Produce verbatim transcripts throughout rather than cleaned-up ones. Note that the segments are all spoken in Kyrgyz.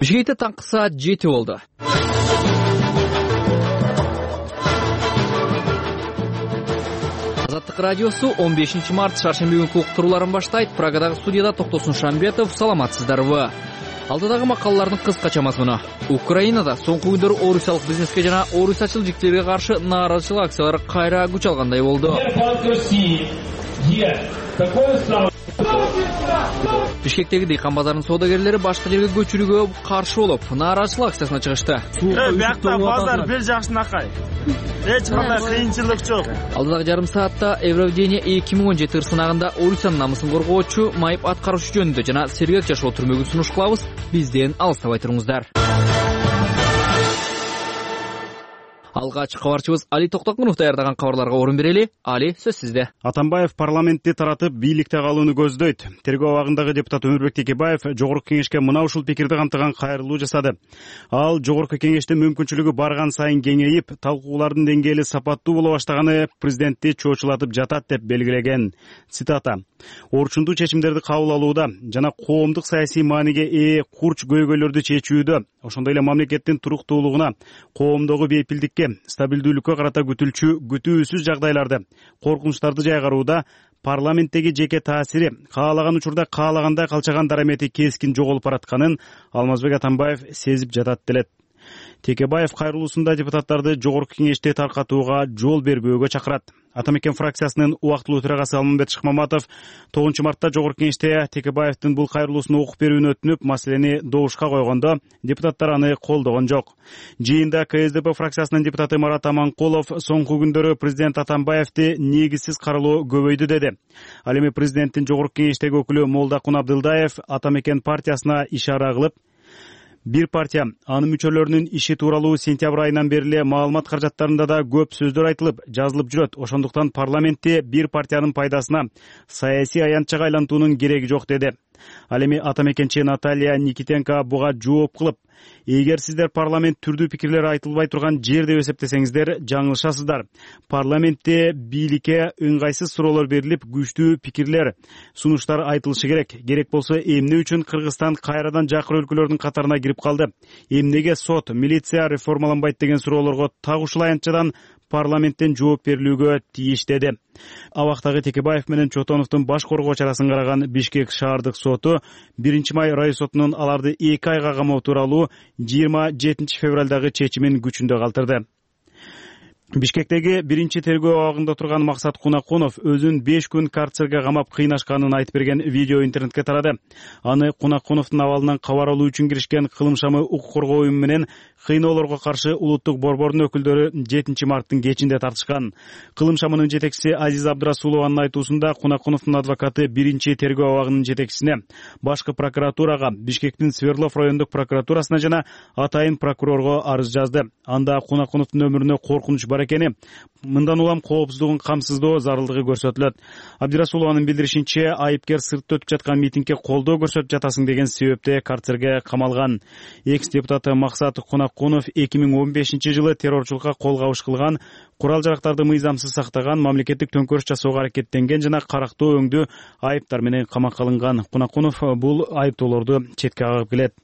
Бишкекте таңкы саат жети болду. Азаттык радиосу он бешинчи март шаршемби күнкү уктурууларын баштайт. Прагадагы студияда Токтосун Шамбетов. Саламатсыздарбы? Алдыдагы макалалардын кыскача мазмуну. Украинада соңку күндөрү орусиялык бизнеске жана орусиячыл жиктерге каршы нааразычылык акциялары кайра күч алгандай болду. Бишкектеги дыйкан базарынын соодагерлери башка жерге көчүрүүгө каршы болуп, нааразычылык акциясына чыгышты. Биякта базар бир жакшынакай. Эч кандай кыйынчылык жок. Алдыдагы жарым саатта Евровидение эки миң он жети сынагында Орусиянын намысын коргоочу, майып аткаруучу жөнүндө жана сергек жашоо түрмөгүн сунуш кылабыз. Бизден алыстабай туруңуздар. Алгач кабарчыбыз Али Токтокунов даярдаган кабарларга орун берели. Али, сөз сизде. Атамбаев парламентти таратып, бийликте калууну көздөйт. Тергөө абагындагы депутат Өмүрбек Текебаев Жогорку кеңешке мына ушул пикирди камтыган кайрылуу жасады. Ал Жогорку кеңеште мүмкүнчүлүгү барган сайын кеңейип, талкуулардын деңгээли сапаттуу боло баштаганы президентти чоочулатып жатат деп белгилеген. Цитата: "Орчундуу чечимдерди кабыл алууда жана коомдук саясий мааниге ээ курч көйгөйлөрдү чечүүдө, ошондой эле мамлекеттин туруктуулугуна, коомдогу бейпилдикке, стабилдүүлүккө карата күтүлчү күтүүсүз жагдайларды, коркунучтарды жайгарууда парламенттеги жеке таасири каалаган учурда каалагандай калчаган дарамети кескин жоголуп баратканын Алмазбек Атамбаев сезип жатат делет. Текебаев кайрылуусунда депутаттарды Жогорку кеңеште таркатууга жол бербөөгө чакырат. Атамекен фракциясынын убактылуу төрагасы Алмамбет Шыкмаматов тогузунчу мартта Жогорку кеңеште Текебаевдин бул кайрылуусун окуп берүүнү өтүнүп, маселени добушка койгондо депутаттар аны колдогон жок. Жыйында ка эс дэ пэ фракциясынын депутаты Марат Аманкулов соңку күндөрү президент Атамбаевди негизсиз каралоо көбөйдү деди. Ал эми президенттин Жогорку кеңештеги өкүлү Молдакун Абдылдаев Атамекен партиясына ишара кылып, бир партия анын мүчөлөрүнүн иши тууралуу сентябрь айынан бери эле маалымат каражаттарында да көп сөздөр айтылып, жазылып жүрөт. Ошондуктан парламентте бир партиянын пайдасына саясий аянтчага айлантуунун кереги жок деди. Ал эми Атамекенчи Наталья Никитенко буга жооп кылып, эгер сиздер парламент түрдүү пикирлер айтылбай турган жер деп эсептесеңиздер, жаңылышасыздар. Парламентте бийликке ыңгайсыз суроолор берилип, күчтүү пикирлер, сунуштар айтылышы керек. Керек болсо, эмне үчүн Кыргызстан кайрадан жакыр өлкөлөрдүн катарына кирип калды? Эмнеге сот, милиция реформаланбайт деген суроолорго так ушул аянтчадан парламенттен жооп берилүүгө тийиш деди. Абактагы Текебаев менен Чотоновдун баш коргоо чарасын караган Бишкек шаардык соту биринчи май район сотунун аларды эки айга камоо тууралуу жыйырма жетинчи февралдагы чечимин күчүндө калтырды. Бишкектеги биринчи тергөө абагында турган Максат Кунакунов өзүн беш күн карцерге камап кыйнашканын айтып берген видео интернетке тарады. Аны Кунакуновдун абалынан кабар алуу үчүн киришкен Кылымшамы укук коргоо уюму менен кыйноолорго каршы улуттук борбордун өкүлдөрү жетинчи марттын кечинде тартышкан. Кылымшамынын жетекчиси Азиз Абдрасулованын айтуусунда Кунакуновдун адвокаты биринчи тергөө абагынын жетекчисине, башкы прокуратурага, Бишкектин Свердлов райондук прокуратурасына жана атайын прокурорго арыз жазды. Анда Кунакуновдун өмүрүнө коркунуч бар экени, мындан улам коопсуздугун камсыздоо зарылдыгы көрсөтүлөт. Абдрасулованын билдиришинче, айыпкер сыртта өтүп жаткан митингге колдоо көрсөтүп жатасың деген себепте карцерге камалган. Экс депутаты Максат Кунакунов эки миң он бешинчи жылы террорчулукка кол кабыш кылган, курал жарактарды мыйзамсыз сактаган, мамлекеттик төңкөрүш жасоого аракеттенген жана карактоо өңдүү айыптар менен камакка алынган. Кунакунов бул айыптоолорду четке кагып келет.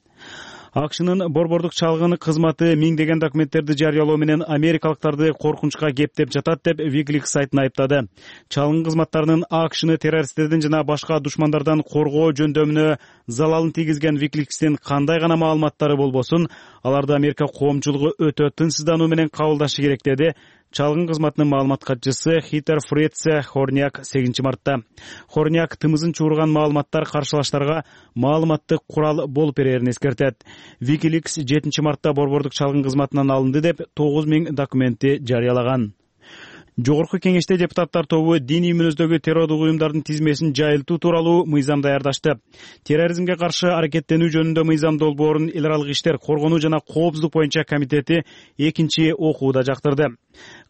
АКШнын борбордук чалгын кызматы миңдеген документтерди жарыялоо менен америкалыктарды коркунучка кептеп жатат деп Wikileaks сайтын айыптады. Чалгын кызматтарынын АКШны террористтердин жана башка душмандардан коргоо жөндөмүнө залалын тийгизген Wikileaks'тин кандай гана маалыматтары болбосун, аларды Америка коомчулугу өтө тынчсыздануу менен кабылдашы керек деди чалгын кызматынын маалымат катчысы Хитер Фрице Хорняк сегизинчи мартта. Хорняк тымызын чуурган маалыматтар каршылаштарга маалыматтык курал болуп берерин эскертет. Wikileaks жетинчи мартта борбордук чалгын кызматынан алынды деп тогуз миң документти жарыялаган. Жогорку кеңеште депутаттар тобу диний мүнөздөгү террордук уюмдардын тизмесин жайылтуу тууралуу мыйзам даярдашты. Терроризмге каршы аракеттенүү жөнүндө мыйзам долбоорун эл аралык иштер, коргонуу жана коопсуздук боюнча комитети экинчи окууда жактырды.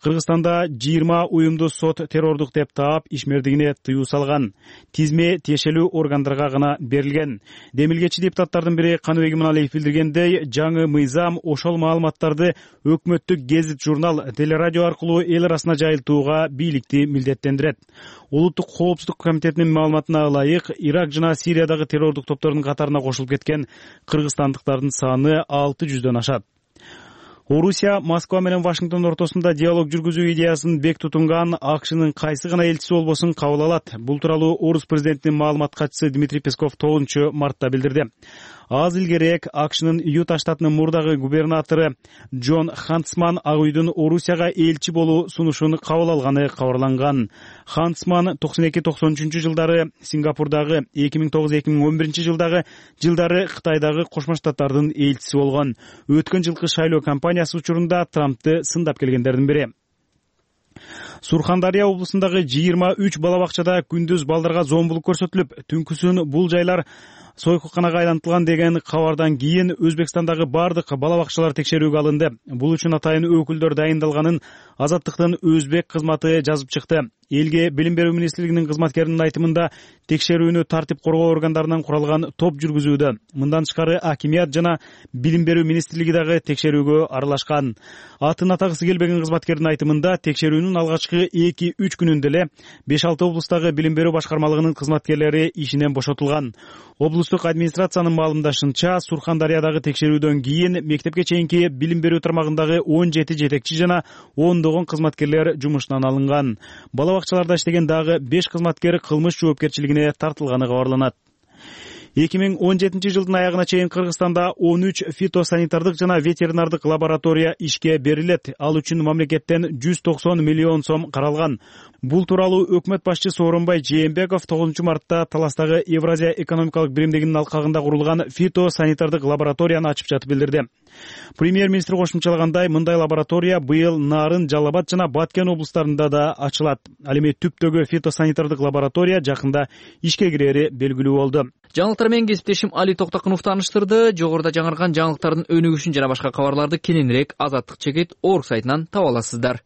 Кыргызстанда жыйырма уюмду сот террордук деп таап, ишмердигине тыюу салган. Тизме тиешелүү органдарга гана берилген. Демилгечи депутаттардын бири Каныбек Иманалиев билдиргендей, жаңы мыйзам ошол маалыматтарды өкмөттүк гезит журнал, телерадио аркылуу эл арасына жайылтуу айылтууга бийликти милдеттендирет. Улуттук коопсуздук комитетинин маалыматына ылайык, Ирак жана Сириядагы террордук топтордун катарына кошулуп кеткен кыргызстандыктардын саны алты жүздөн ашат. Орусия Москва менен Вашингтон ортосунда диалог жүргүзүү идеясын бек тутунган АКШнын кайсы гана элчиси болбосун кабыл алат. Бул тууралуу Орус президентинин маалымат катчысы Дмитрий Песков тогузунчу мартта билдирди. Аз илгерээк АКШнын Юта штатынын мурдагы губернатору Джон Хантсман Ак үйдүн Орусияга элчи болуу сунушун кабыл алганы кабарланган. Хантсман токсон эки токсон үчүнчү жылдары Сингапурдагы, эки миң тогуз эки миң он биринчи жылдагы жылдары Кытайдагы Кошмо Штаттардын элчиси болгон. Өткөн жылкы шайлоо кампаниясы учурунда Трампты сындап келгендердин бири. Сурхандария облусундагы жыйырма үч бала бакчада күндүз балдарга зомбулук көрсөтүлүп, түнкүсүн бул жайлар сойкуканага айлантылган деген кабардан кийин Өзбекстандагы бардык бала бакчалар текшерүүгө алынды. Бул үчүн атайын өкүлдөр дайындалганын Азаттыктын Өзбек кызматы жазып чыкты. Элге билим берүү министрлигинин кызматкеринин айтымында текшерүүнү тартип коргоо органдарынан куралган топ жүргүзүүдө. Мындан тышкары акимият жана билим берүү министрлиги дагы текшерүүгө аралашкан. Атын атагысы келбеген кызматкердин айтымында текшерүүнүн алгачкы эки үч күнүндө эле беш алты облустагы билим берүү башкармалыгынын кызматкерлери ишинен бошотулган. Облустук администрациянын маалымдашынча, Сурхандариядагы текшерүүдөн кийин мектепке чейинки билим берүү тармагындагы он жети жетекчи жана ондогон кызматкерлер жумуштан алынган. Бала бакчаларда иштеген дагы беш кызматкер кылмыш жоопкерчилигине тартылганы кабарланат. эки миң он жетинчи жылдын аягына чейин Кыргызстанда он үч фитосанитардык жана ветеринардык лаборатория ишке берилет. Ал үчүн мамлекеттен жүз токсон миллион сом каралган. Бул тууралуу өкмөт башчысы Сооронбай Жээнбеков тогузунчу мартта Таластагы Евразия экономикалык биримдигинин алкагында курулган фитосанитардык лабораторияны ачып жатып билдирди. Премьер-министр кошумчалагандай, мындай лаборатория быйыл Нарын, Жалал Абад жана Баткен облустарында да ачылат. Ал эми Түптөгү фитосанитардык лаборатория жакында ишке кирери белгилүү болду. Жаңылыктар менен кесиптешим Али Токтокунов тааныштырды. Жогоруда жаңырган жаңылыктардын өнүгүшүн жана башка кабарларды кененирээк Азаттык чекит орг сайтынан таба аласыздар.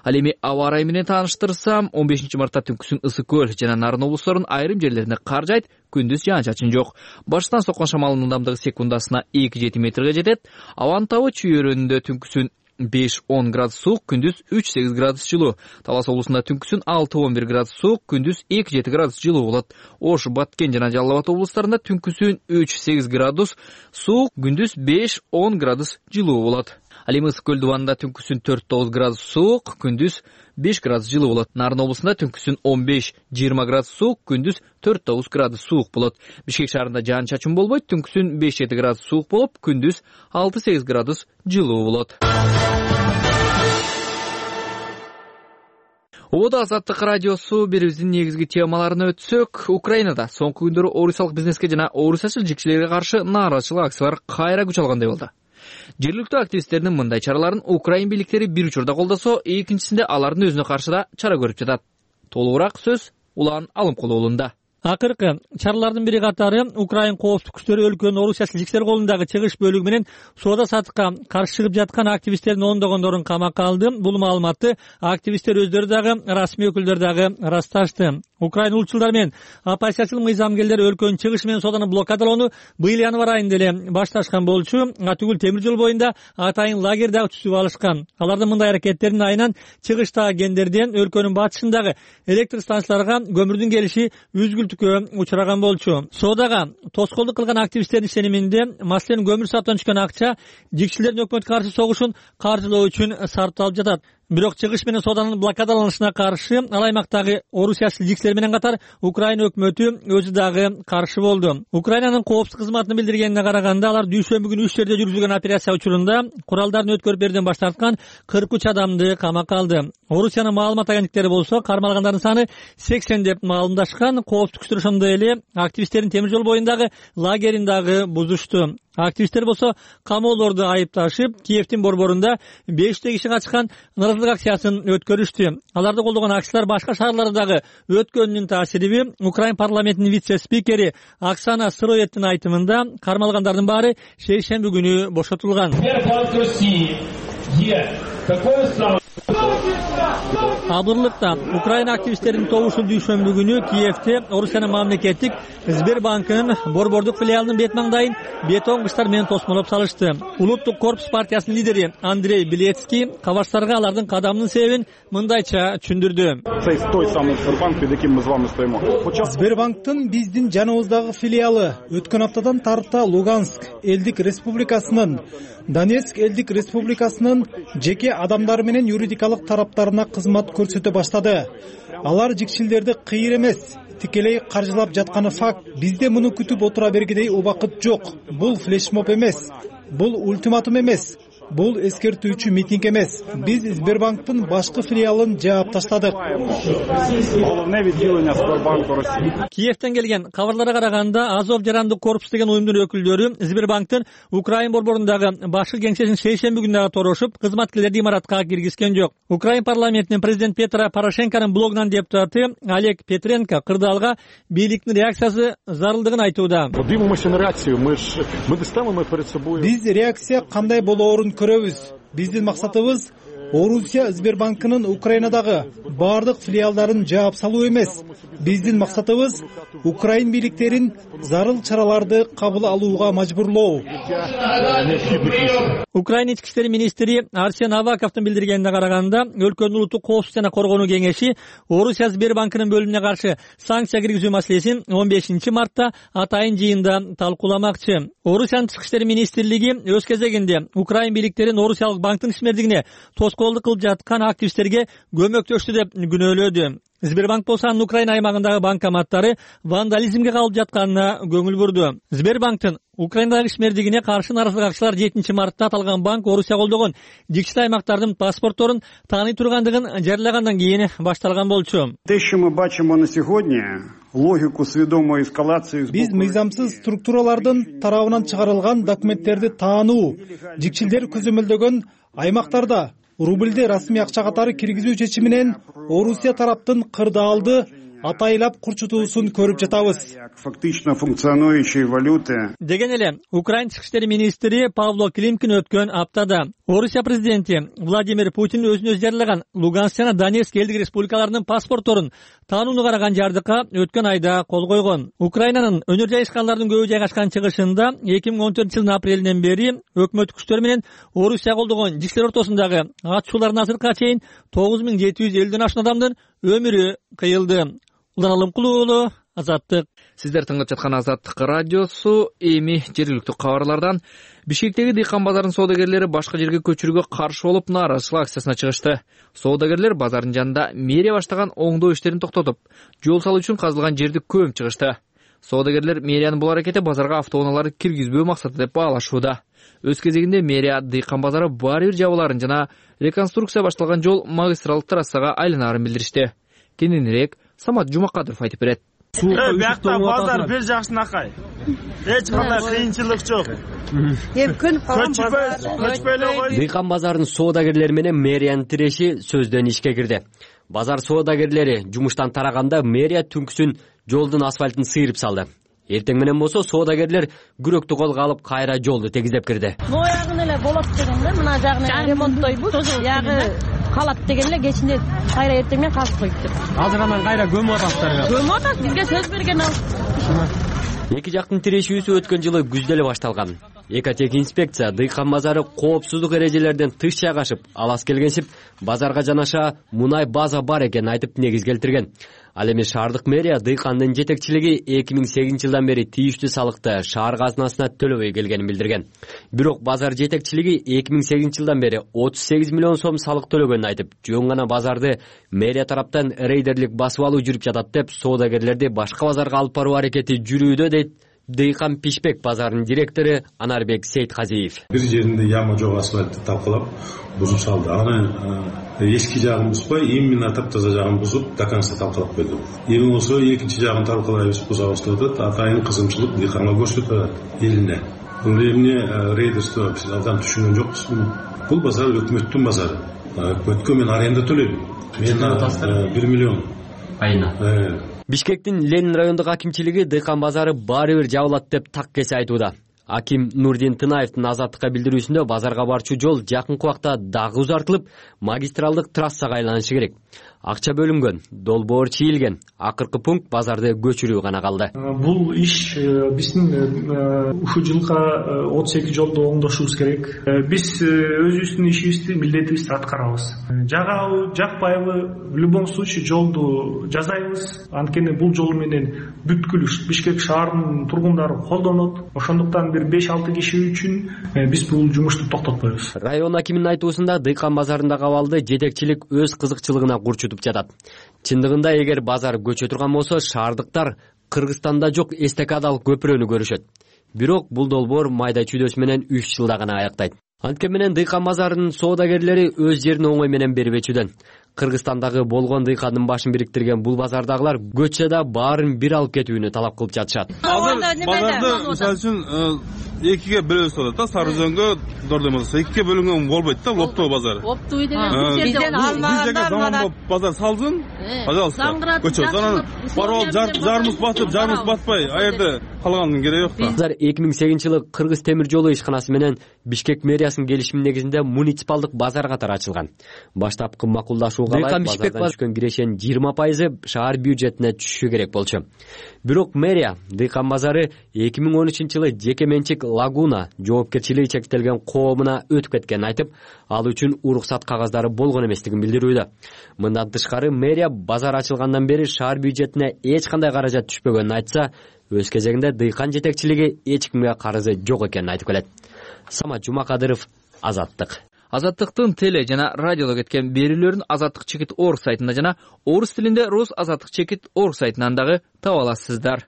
Ал эми аба ырайы менен тааныштырсам, он бешинчи мартта түнкүсүн Ысык көл жана Нарын облустарынын айрым жерлерине кар жайт, күндүз жаан-чачын жок. Баштан соккон шамалдын ылдамдыгы секундасына эки жети метрге жетет. Абанын табы чүйөрүндө түнкүсүн беш он градус суук, күндүз үч сегиз градус жылуу. Талас облусунда түнкүсүн алты он бир градус суук, күндүз эки жети градус жылуу болот. Ош, Баткен жана Жалал Абад облустарында түнкүсүн үч сегиз градус суук, күндүз беш он градус жылуу болот. Ал эми Ысык көл дубанында түнкүсүн төрт тогуз градус суук, күндүз беш градус жылуу болот. Нарын облусунда түнкүсүн он беш жыйырма градус суук, күндүз төрт тогуз градус суук болот. Бишкек шаарында жаан-чачын болбойт, түнкүсүн беш жети градус суук болуп, күндүз алты сегиз градус жылуу болот. Ободо Азаттык радиосу берүүбүздүн негизги темаларына өтсөк, Украинада соңку күндөрү орусиялык бизнеске жана орусиячыл жикчилерге каршы нааразычылык акциялар кайра күч алгандай болду. Жергиликтүү активисттердин мындай чараларын Украин бийликтери бир учурда колдосо, экинчисинде алардын өзүнө каршы да чара көрүп жатат. Толугураак сөз Улан Алымкулу уулунда. Акыркы чаралардын бири катары Украин коопсуздук күчтөрү өлкөнүн орусиячыл жикчилер колундагы чыгыш бөлүгү менен соода саттыкка каршы чыгып жаткан активисттердин ондогондорун камакка алды. Бул маалыматты активисттер өздөрү дагы, расмий өкүлдөр дагы ырасташты. Украин улутчулдар менен оппозициячыл мыйзамгерлер өлкөнүн чыгышы менен сооданы блокадалоону быйыл январь айында эле башташкан болчу. Түгүл темир жол боюнда атайын лагерь дагы түзүп алышкан. Алардын мындай аракеттеринин айынан чыгыштагы кендерден өлкөнүн батышындагы электр станцияларга көмүрдүн келиши үзгүлтүккө учураган болчу. Соодага тоскоолдук кылган активисттердин ишениминде, маселен көмүр сатуудан түшкөн акча жикчилердин өкмөткө каршы согушун каржылоо үчүн сарпталып жатат. Бирок чыгыш менен сооданын блокадаланышына каршы ал аймактагы орусиячыл жикчилер менен катар Украина өкмөтү өзү дагы каршы болду. Украинанын коопсуздук кызматынын билдиргенине караганда, алар дүйшөмбү күнү үч жерде жүргүзүлгөн операция учурунда куралдарын өткөрүп берүүдөн баш тарткан кырк үч адамды камакка алды. Орусиянын маалымат агенттиктери болсо кармалгандардын саны сексен деп маалымдашкан. Коопсуздук күчтөр ошондой эле активисттердин темир жол боюндагы лагерин дагы бузушту. Активисттер болсо камоолорду айыпташып, Киевдин борборунда беште киши катышкан нааразычылык акциясын өткөрүштү. Аларды колдогон акциялар башка шаарлардагы өткөнүнүн таасириби. Украин парламентинин вице-спикери Оксана Сыроевдин айтымында кармалгандардын баары шейшемби күнү бошотулган. Абырлыкта Украина активисттеринин тобушу дүйшөмбү күнү Киевде Орусиянын мамлекеттик Сбербанкынын борбордук филиалынын бет маңдайын бетон кыштар менен тосмолоп салышты. Улуттук корпус партиясынын лидери Андрей Белецкий кабарчтарга алардын кадамынын себебин мындайча түшүндүрдү. Сбербанктын биздин жаныбыздагы филиалы өткөн аптадан тарта Луганск элдик республикасынын, Донецк элдик республикасынын жеке адамдары менен юридикалык тараптарына кызмат көрсөтө баштады. Алар жикшилдерди кыйыр эмес, тикелей каржылап жатканы факт. Бизде муну күтүп отура бергидей убакыт жок. Бул флешмоб эмес, бул ультиматум эмес, бул эскертүүчү митинг эмес. Биз Сбербанктын башкы филиалын жаап таштадык. Киевден келген кабарларга караганда Азов жарандык корпус деген уюмдун өкүлдөрү Сбербанктын Украин борборундагы башкы кеңсесин шейшемби күнү дагы торошуп, кызматкерлерди имаратка киргизген жок. Украин парламентинин президент Петро Порошенконун блогунан депутаты Олег Петренко кырдаалга бийликтин реакциясы зарылдыгын айтууда. Биз реакция кандай болоорун көрөбүз. Биздин максатыбыз Орусия Сбербанкынын Украинадагы бардык филиалдарын жаап салуу эмес. Биздин максатыбыз Украин бийликтерин зарыл чараларды кабыл алууга мажбурлоо. Украина ички иштер министри Арсен Аваковдун билдиргенине караганда, өлкөнүн улуттук коопсуздук жана коргонуу кеңеши Орусия Сбербанкынын бөлүмүнө каршы санкция киргизүү маселесин он бешинчи мартта атайын жыйында талкууламакчы. Орусиянын тышкы иштер министрлиги өз кезегинде Украин бийликтерин Орусиялык банктын ишмердигине тоскоолдук кылып жаткан активисттерге көмөктөштү деп күнөөлөдү. Сбербанк болсо анын Украина аймагындагы банкоматтары вандализмге калып жатканына көңүл бурду. Сбербанктын Украинадагы ишмердигине каршы нааразылык акчылар жетинчи мартта аталган банк Орусия колдогон жикчил аймактардын паспортторун тааный тургандыгын жарыялагандан кийин башталган болчу. Биз мыйзамсыз структуралардын тарабынан чыгарылган документтерди таануу, жикчилдер көзөмөлдөгөн аймактарда рубльди расмий акча катары киргизүү чечиминен Орусия тараптын кырдаалды атайлап курчутуусун көрүп жатабыз. Фактично функционирующей валюты. Деген эле Украин тышкы иштер министри Павло Климкин өткөн аптада Орусия президенти Владимир Путин өзүнө өзү жарыялаган Луганск жана Донецк элдик республикаларынын паспортторун таанууну караган жардыкка өткөн айда кол койгон. Украинанын өнөр жайышкандардын көбү жайгашкан чыгышында эки миң он төртүнчү жылдын апрелинен бери өкмөт күчтөр менен Орусия колдогон жикчилер ортосундагы атышуулардын азыркыга чейин тогуз миң жети жүз элүүдөн ашуун адамдын өмүрү кыйылды. Улан Алымкулуу уулу, Азаттык. Сиздер тыңдап жаткан Азаттык радиосу. Эми жергиликтүү кабарлардан Бишкектеги дыйкан базарынын соодагерлери башка жерге көчүрүүгө каршы болуп нааразычылык акциясына чыгышты. Соодагерлер базардын жанында мэрия баштаган оңдоо иштерин токтотуп, жол салуу үчүн казылган жерди көмүп чыгышты. Соодагерлер мэриянын бул аракети базарга автоунааларды киргизбөө максаты деп баалашууда. Өз кезегинде мэрия дыйкан базары баары бир жабылаарын жана реконструкция башталган жол магистралдык трассага айланаарын билдиришти. Кененирээк Самат Жумакадыров айтып берет. Бияқта базар бир жакшынакай. Эч кандай кыйынчылык жок. Эми көнүп калган базар. Дыйкан базарынын соодагерлери менен мэриянын тиреши сөздөн ишке кирди. Базар соодагерлери жумуштан тараганда мэрия түнкүсүн жолдун асфальтын сыйрып салды. Эртең менен болсо соодагерлер күрөктү колго алып кайра жолду тегиздеп кирди. Моягын эле болот дегенде мына жагын ремонттойбуз. Ягы калат деген эле кечинде кайра эртең менен казып коюптур. Азыр анан кайра көмүп атасыздар. Көмүп атат, бизге сөз берген ал. Эки жактын тирешүүсү өткөн жылы күздө эле башталган. Экотех инспекция дыйкан базары коопсуздук эрежелерден тыш жайгашып, алас келгенсип, базарга жанаша мунай база бар экенин айтып негиз келтирген. Ал эми шаардык мэрия дыйкандын жетекчилиги эки миң сегизинчи жылдан бери тийиштүү салыкты шаар казынасына төлөбөй келгенин билдирген. Бирок базар жетекчилиги эки миң сегизинчи жылдан бери отуз сегиз миллион сом салык төлөгөнүн айтып, жөн гана базарды мэрия тараптан рейдерлик басып алуу жүрүп жатат деп, соодагерлерди башка базарга алып баруу аракети жүрүүдө дейт Дыйкан Пишпек базарынын директору Анарбек Сейтказиев. Бир жеринде яма жок асфальтты талкалап бузуп салды. Аны эски жагын бузбай, именно таптаза жагын бузуп, до конца талкалап койду. Эми болсо экинчи жагын талкалайбыз, буза баштадык. Атайын кызымчылык дыйканга көрсөтөт элине. Бул эмне рейдерство биз абдан түшүнгөн жокпуз. Бул базар өкмөттүн базары. Өкмөткө мен аренда төлөйм. Мен бир миллион айына. Бишкектин Ленин райондук акимчилиги дыйкан базары баары бир жабылат деп так кесе айтууда. Аким Нурдин Тынаевдин Азаттыкка билдирүүсүндө базарга барчу жол жакынкы убакта дагы узартылып, магистралдык трассага айланышы керек. Акча бөлүнгөн, долбоор чийилген, акыркы пункт базарды көчүрүү гана калды. Бул иш биздин ушул жылга отуз эки жолду оңдошубуз керек. Биз өзүбүздүн ишибизди, милдетибизди аткарабыз. Жагабы, жакпайбы, в любом случае жолду жасайбыз. Анткени бул жол менен бүткүл Бишкек шаарынын тургундары колдонот. Ошондуктан бир беш алты киши үчүн биз бул жумушту токтотпойбуз. Район акиминин айтуусунда дыйкан базарындагы абалды жетекчилик өз кызыкчылыгына курчутуп жатат. Чындыгында эгер базар көчө турган болсо, шаардыктар Кыргызстанда жок эстакадалык көпүрөнү көрүшөт. Бирок бул долбоор майда чүйдөсү менен үч жылда гана аяктайт. Анткени менен дыйкан базарынын соодагерлери өз жерин оңой менен бербечүдөн. Кыргызстандагы болгон дыйкандын башын бириктирген бул базардагылар көчөдө баарын бир алып кетүүнү талап кылып жатышат. Азыр базарды мисалы үчүн экиге бөлөбүз болот да, Сары Өзөнгө, Дордемозго экиге бөлүнгөн болбойт да, Лоптоо базары. Оптуй деген бизден алмагандар базар салсын, пожалуйста, көчө. Анан барып жарымыз басып, жарымыз батпай, а жерде калганын кереги жок да. Базар эки миң сегизинчи жылы Кыргыз темир жолу ишканасы менен Бишкек мэриясынын келишими негизинде муниципалдык базар катары ачылган. Баштапкы макулдашууга ылайык базардан түшкөн кирешенин жыйырма пайызы шаар бюджетине түшүшү керек болчу. Бирок мэрия дыйкан базары эки миң он үчүнчү жылы жеке менчик Лагуна жоопкерчилиги чектелген коомуна өтүп кеткенин айтып, ал үчүн уруксат кагаздары болгон эместигин билдирүүдө. Мындан тышкары мэрия базар ачылгандан бери шаар бюджетине эч кандай каражат түшпөгөнүн айтса, өз кезегинде дыйкан жетекчилиги эч кимге карызы жок экенин айтып келет. Самат Жумакадыров, Азаттык. Азаттыктын теле жана радиодо кеткен берүүлөрүн Азаттык чекит точка орг сайтында жана орус тилинде Рус Азаттык чекит точка орг сайтынан дагы таба аласыздар.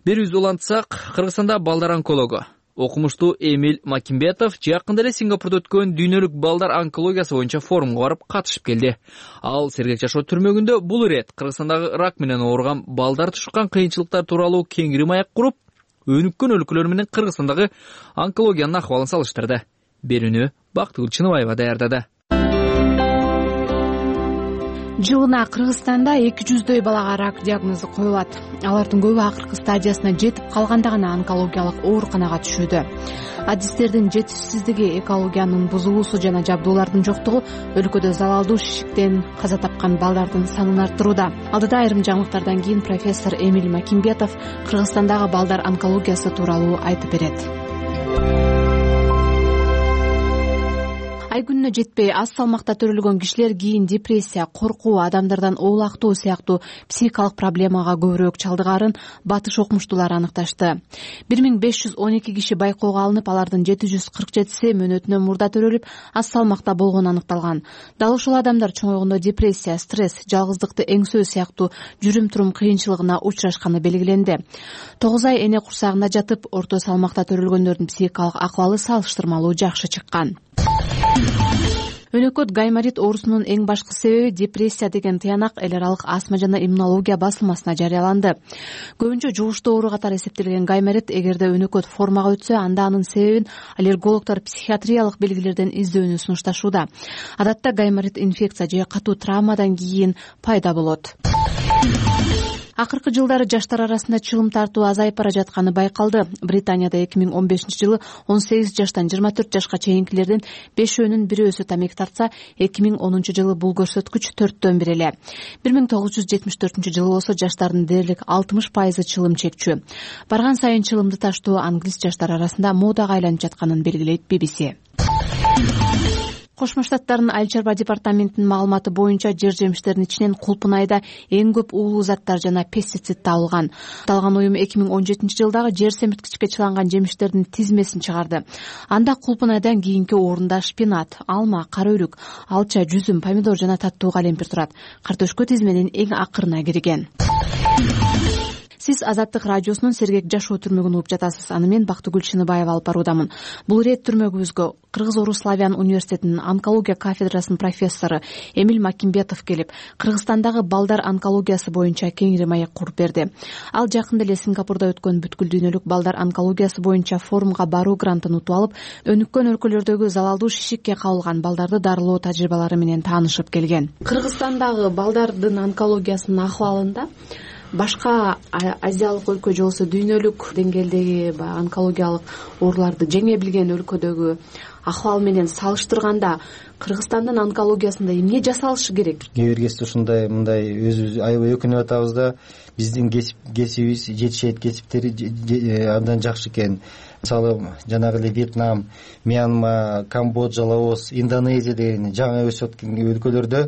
Берүүбүздү улантсак, Кыргызстанда балдар онкологу окумуштуу Эмиль Макимбетов жакында эле Сингапурда өткөн дүйнөлүк балдар онкологиясы боюнча форумга барып катышып келди. Ал сергек жашоо түрмөгүндө бул ирет Кыргызстандагы рак менен ооруган балдар тушкан кыйынчылыктар тууралуу кеңири маек куруп, өнүккөн өлкөлөр менен Кыргызстандагы онкологиянын акыбалын салыштырды. Берүүнү Бактыгүл Чыныбаева даярдады. Жылына Кыргызстанда эки жүздөй балага рак диагнозу коюлат. Алардын көбү акыркы стадиясына жетип калганда гана онкологиялык ооруканага түшүүдө. Адистердин жетишсиздиги, экологиянын бузулуусу жана жабдуулардын жоктугу өлкөдө залалдуу шишиктен каза тапкан балдардын санын арттырууда. Алдыда айрым жаңылыктардан кийин профессор Эмиль Макимбетов Кыргызстандагы балдар онкологиясы тууралуу айтып берет. Ай күнүнө жетпей аз салмакта төрөлгөн кишилер кийин депрессия, коркуу, адамдардан оолактоо сыяктуу психикалык проблемага көбүрөөк чалдыгаарын батыш окумуштуулар аныкташты. бир миң беш жүз он эки киши байкоого алынып, алардын жети жүз кырк жетиси мөөнөтүнөн мурда төрөлүп, аз салмакта болгону аныкталган. Дал ушул адамдар чоңойгондо депрессия, стресс, жалгыздыкты эңсөө сыяктуу жүрүм-турум кыйынчылыгына учурашканы белгиленди. тогуз ай эне курсагында жатып, орто салмакта төрөлгөндөрдүн психикалык акыбалы салыштырмалуу жакшы чыккан. Өнөкөт гайморит оорусунун эң башкы себеби депрессия деген тыянак эл аралык астма жана иммунология басылмасына жарыяланды. Көбүнчө жугуштуу оору катары эсептелген гайморит эгерде өнөкөт формага өтсө, анда анын себебин аллергологдор психиатриялык белгилерден издөөнү сунушташууда. Адатта гайморит инфекция же катуу травмадан кийин пайда болот. Акыркы жылдары жаштар арасында чылым тартуу азайып бара жатканы байкалды. Британияда эки миң он бешинчи жылы он сегиз жаштан жыйырма төрт жашка чейинкилердин бешөөнүн бирөөсү тамек тартса, эки миң онунчу жылы бул көрсөткүч төрттөн бир эле. бир миң тогуз жүз жетимиш төртүнчү жылы болсо жаштардын дээрлик алтымыш пайызы чылым чекчү. Барган сайын чылымды таштоо англис жаштар арасында модага айланып жатканын белгилейт би би си. Кошмо Штаттардын айыл чарба департаментинин маалыматы боюнча жер жемиштердин ичинен кулпун айда эң көп уулуу заттар жана пестицид табылган. Аталган уюм эки миң он жетинчи жылдагы жер семирткичке чыланган жемиштердин тизмесин чыгарды. Анда кулпун айдан кийинки орунда шпинат, алма, кара өрүк, алча, жүзүм, помидор жана таттуу калемпир турат. Картөшкө тизменин эң акырына кирген. Сиз Азаттык радиосунун сергек жашоо түрмөгүн угуп жатасыз. Аны мен Бактыгүл Чыныбаева алып баруудамын. Бул ирет түрмөгүбүзгө Кыргыз-Орус славян университетинин онкология кафедрасынын профессору Эмиль Макимбетов келип, Кыргызстандагы балдар онкологиясы боюнча кеңири маек куруп берди. Ал жакында эле Сингапурда өткөн бүткүл дүйнөлүк балдар онкологиясы боюнча форумга баруу грантын утуп алып, өнүккөн өлкөлөрдөгү залалдуу шишикке кабылган балдарды дарылоо тажрыйбалары менен таанышып келген. Кыргызстандагы балдардын онкологиясынын акыбалында башка азиялык өлкө же болбосо дүйнөлүк деңгээлдеги баягы онкологиялык ооруларды жеңе билген өлкөдөгү акыбал менен салыштырганда Кыргызстандын онкологиясында эмне жасалышы керек? Кээ бир кезде ушундай мындай өзүбүз аябай өкүнүп атабыз да, биздин кесибибиз жетишет кесиптери абдан жакшы экен. Мисалы жанагы эле Вьетнам, Мьянма, Камбоджа, Лаос, Индонезия деген жаңы өсүп аткан өлкөлөрдө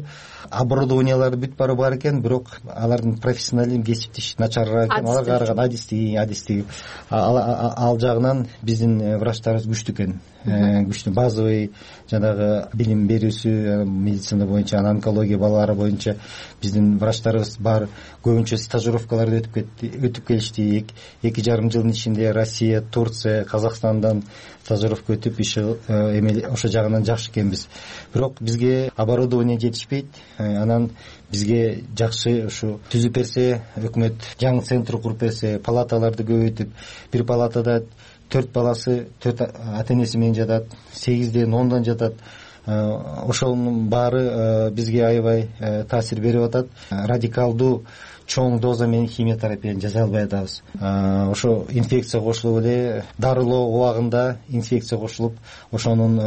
оборудованиялар бүт баары бар экен, бирок алардын профессионализм кесиптеши начарыраак экен. Аларга караган адистиги адистиги ал жагынан биздин врачтарыбыз күчтүү экен. Күчтүү базовый жанагы билим берүүсү медицина боюнча, онкология балалар боюнча биздин врачтарыбыз бар. Көбүнчө стажировкаларды өтүп кетти, өтүп келишти. Эки жарым жылдын ичинде Россия, Турция, Казакстандан стажировка өтүп иши эме ошо жагынан жакшы экенбиз. Бирок бизге оборудование жетишпейт. Анан бизге жакшы ушу түзүп берсе, өкмөт жаңы центр куруп берсе, палаталарды көбөйтүп, бир палатада төрт баласы төрт ата энеси менен жатат, сегизден ондон жатат. Ошонун баары бизге аябай таасир берип атат. Радикалдуу чоң доза менен химиотерапияны жасай албай атабыз. Ошо инфекция кошулуп эле дарылоо убагында инфекция кошулуп, ошонун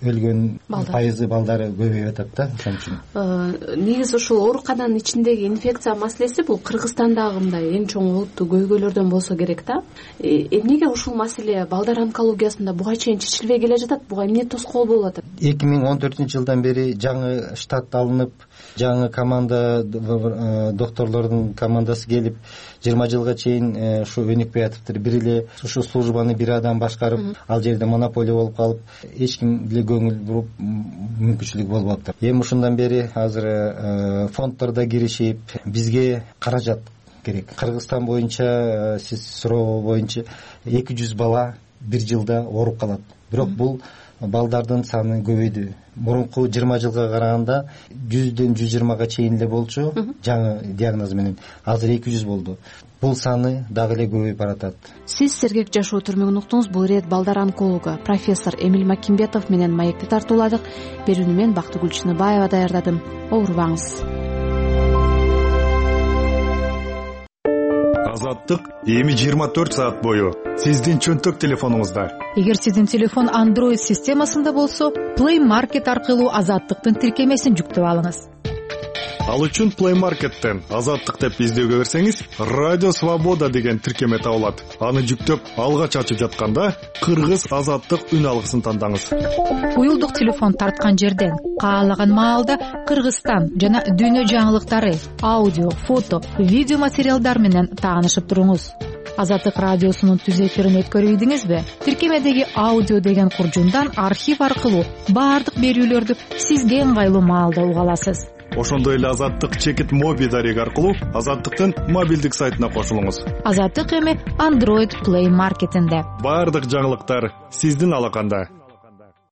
өлгөн пайызы балдары көбөйүп атат да. Ошон үчүн негизи ушул оорукананын ичиндеги инфекция маселеси бул Кыргызстандагы мындай эң чоң олуттуу көйгөйлөрдөн болсо керек да. Эмнеге ушул маселе балдар онкологиясында буга чейин чечилбей келе жатат? Буга эмне тоскоол болуп атат? эки миң он төртүнчү жылдан бери жаңы штат алынып, жаңы команда докторлордун командасы келип, жыйырма жылга чейин ушу өнүкпөй атыптыр. Бир эле ушу службаны бир адам башкарып, ал жерде монополия болуп калып, эч ким деле көңүл буруп мүмкүнчүлүк болуп атты. Эми ушундан бери азыр фонддордо киришип, бизге каражат керек. Кыргызстан боюнча сиз суроо боюнча эки жүз бала бир жылда ооруп калат. Бирок бул балдардын саны көбөйдү. Мурунку жыйырма жылга караганда жүздөн жүз жыйырмага чейин эле болчу жаңы диагноз менен. Азыр эки жүз болду. Бул саны дагы эле көбөйүп баратат. Сиз сергек жашоо түрмөгүн уктуңуз. Бул ирет балдар онкологу профессор Эмиль Макимбетов менен маекти тартууладык. Берүүнү мен Бактыгүл Чыныбаева даярдадым. Оорубаңыз. Азаттык эми жыйырма төрт саат бою сиздин чөнтөк телефонуңузда. Эгер сиздин телефон Android системасында болсо, Play Market аркылуу Азаттыктын тиркемесин жүктөп алыңыз. Ал үчүн Play Market'тен Азаттык деп издөөгө берсеңиз, Радио Свобода деген тиркеме табылат. Аны жүктөп, алгач ачып жатканда Кыргыз Азаттык үн алгысын тандаңыз. Уюлдук телефон тарткан жерден каалаган маалда Кыргызстан жана дүйнө жаңылыктары, аудио, фото, видео материалдар менен таанышып туруңуз. Азаттык радиосунун түз эфирин өткөрүйдүңүзбү? Тиркемедеги аудио деген куржундан архив аркылуу баардык берүүлөрдү сизге ыңгайлуу маалда уга аласыз. Ошондой эле Азаттык чекит моби дареги аркылуу Азаттыктын мобилдик сайтына кошулуңуз. Азаттык эми Android Play Market'инде. Баардык жаңылыктар сиздин алаканда.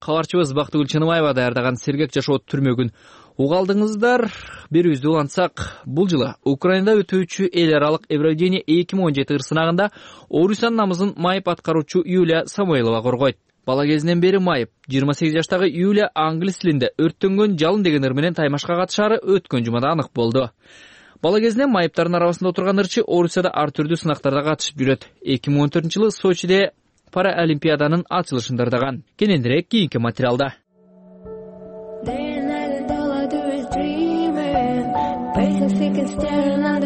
Кабарчыбыз Бактыгүл Чыныбаева даярдаган сергек жашоо түрмөгүн угалдыңыздар. Берүүбүздү улантсак, бул жылы Украинада өтүүчү эл аралык Евровидение эки миң он жети ырсынагында Орусиянын намысын майып аткаруучу Юлия Самойлова коргойт. Бала кезинен бери майып жыйырма сегиз жаштагы Юлия англис тилинде өрттөнгөн жалын деген ыр менен таймашка катышары өткөн жумада анык болду. Бала кезинен майыптардын арабасында отурган ырчы Орусияда ар түрдүү сынактарда катышып жүрөт. эки миң он төртүнчү жылы Сочиде Параолимпиаданын ачылышын дардаган. Кененирээк кийинки материалда.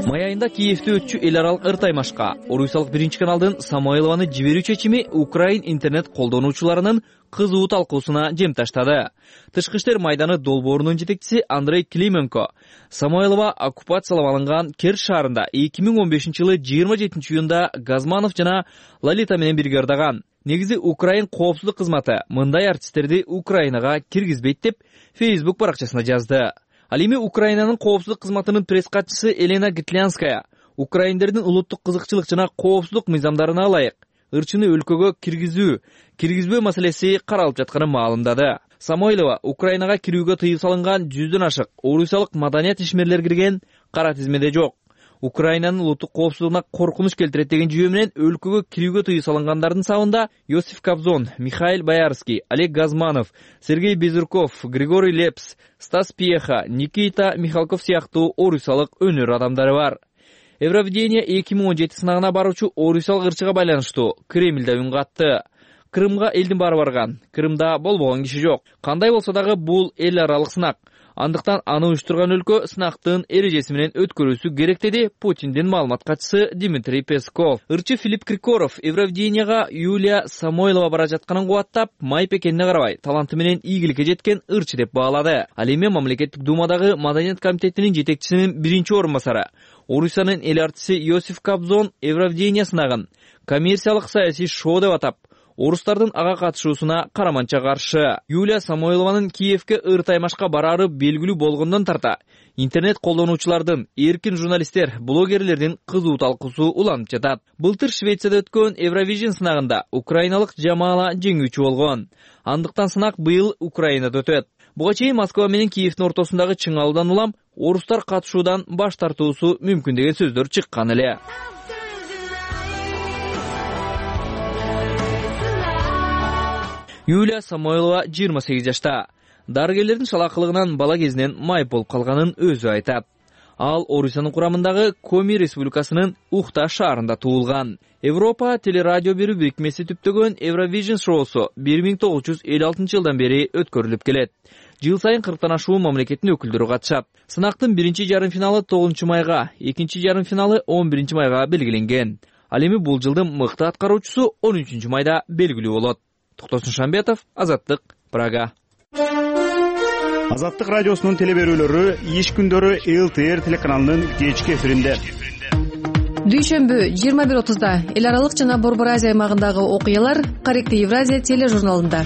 Май айында Киевде өтчү эл аралык ыр таймашка орусиялык биринчи каналдын Самойлованы жиберүү чечими Украин интернет колдонуучуларынын кызуу талкуусуна жем таштады. Тышкы иштер майданы долбоорунун жетекчиси Андрей Клименко Самойлова оккупациялап алынган Керч шаарында эки миң он бешинчи жылы жыйырма жетинчи июнда Газманов жана Лолита менен бирге ырдаган. Негизи Украин коопсуздук кызматы мындай артисттерди Украинага киргизбейт деп Facebook баракчасына жазды. Ал эми Украинанын коопсуздук кызматынын пресс катчысы Елена Гитлянская украиндердин улуттук кызыкчылык жана коопсуздук мыйзамдарына ылайык ырчыны өлкөгө киргизүү, киргизбөө маселеси каралып жатканын маалымдады. Самойлова Украинага кирүүгө тыюу салынган жүздөн ашык орусиялык маданият ишмерлер кирген кара тизмеде жок. Украинанын улуттук коопсуздугуна коркунуч келтирет деген жүйө менен өлкөгө кирүүгө тыюу салынгандардын сабында Йосиф Кобзон, Михаил Боярский, Олег Газманов, Сергей Безруков, Григорий Лепс, Стас Пьеха, Никита Михалков сыяктуу орусиялык өнөр адамдары бар. Евровидение эки миң он жети сынагына баруучу орусиялык ырчыга байланыштуу Кремльде үн катты. Крымга элдин баары барган, Крымда болбогон киши жок. Кандай болсо дагы бул эл аралык сынак. Андыктан аны уюштурган өлкө сынактын эрежеси менен өткөрүүсү керек деди Путиндин маалымат катчысы Дмитрий Песков. Ырчы Филипп Киркоров Евровидениега Юлия Самойлова бара жатканын кубаттап, майып экенине карабай, таланты менен ийгиликке жеткен ырчы деп баалады. Ал эми мамлекеттик думадагы маданият комитетинин жетекчисинин биринчи орун басары, Орусиянын эл артиси Йосиф Кобзон Евровидение сынагын коммерциялык саясий шоу деп атап, орустардын ага катышуусуна караманча каршы. Юлия Самойлованын Киевке ыр таймашка барары белгилүү болгондон тарта интернет колдонуучулардын, эркин журналисттер, блогерлердин кызуу талкуусу уланып жатат. Былтыр Швецияда өткөн Евровижн сынагында украиналык Жамала жеңүүчү болгон. Андыктан сынак быйыл Украинада өтөт. Буга чейин Москва менен Киевдин ортосундагы чыңалуудан улам орустар катышуудан баш тартуусу мүмкүн деген сөздөр чыккан эле. Юлия Самойлова жыйырма сегиз жашта. Дарыгерлердин шалакылыгынан бала кезинен майып болуп калганын өзү айтат. Ал Орусиянын курамындагы Коми Республикасынын Ухта шаарында туулган. Европа телерадио берүү бирикмеси түптөгөн Евровижн шоусу бир миң тогуз жүз элүү алтынчы жылдан бери өткөрүлүп келет. Жыл сайын кырктан ашуун мамлекеттин өкүлдөрү катышат. Сынактын биринчи жарым финалы тогузунчу майга, экинчи жарым финалы он биринчи майга белгиленген. Ал эми бул жылдын мыкты аткаруучусу он үчүнчү майда белгилүү болот. Токтосун Шамбетов, Азаттык, Прага. Азаттык радиосунун телеберүүлөрү иш күндөрү эл тэ эр телеканалынын кечки эфиринде. Дүйшөмбү жыйырма бир отузда эл аралык жана Борбор Азия аймагындагы окуялар Корректный Евразия тележурналында.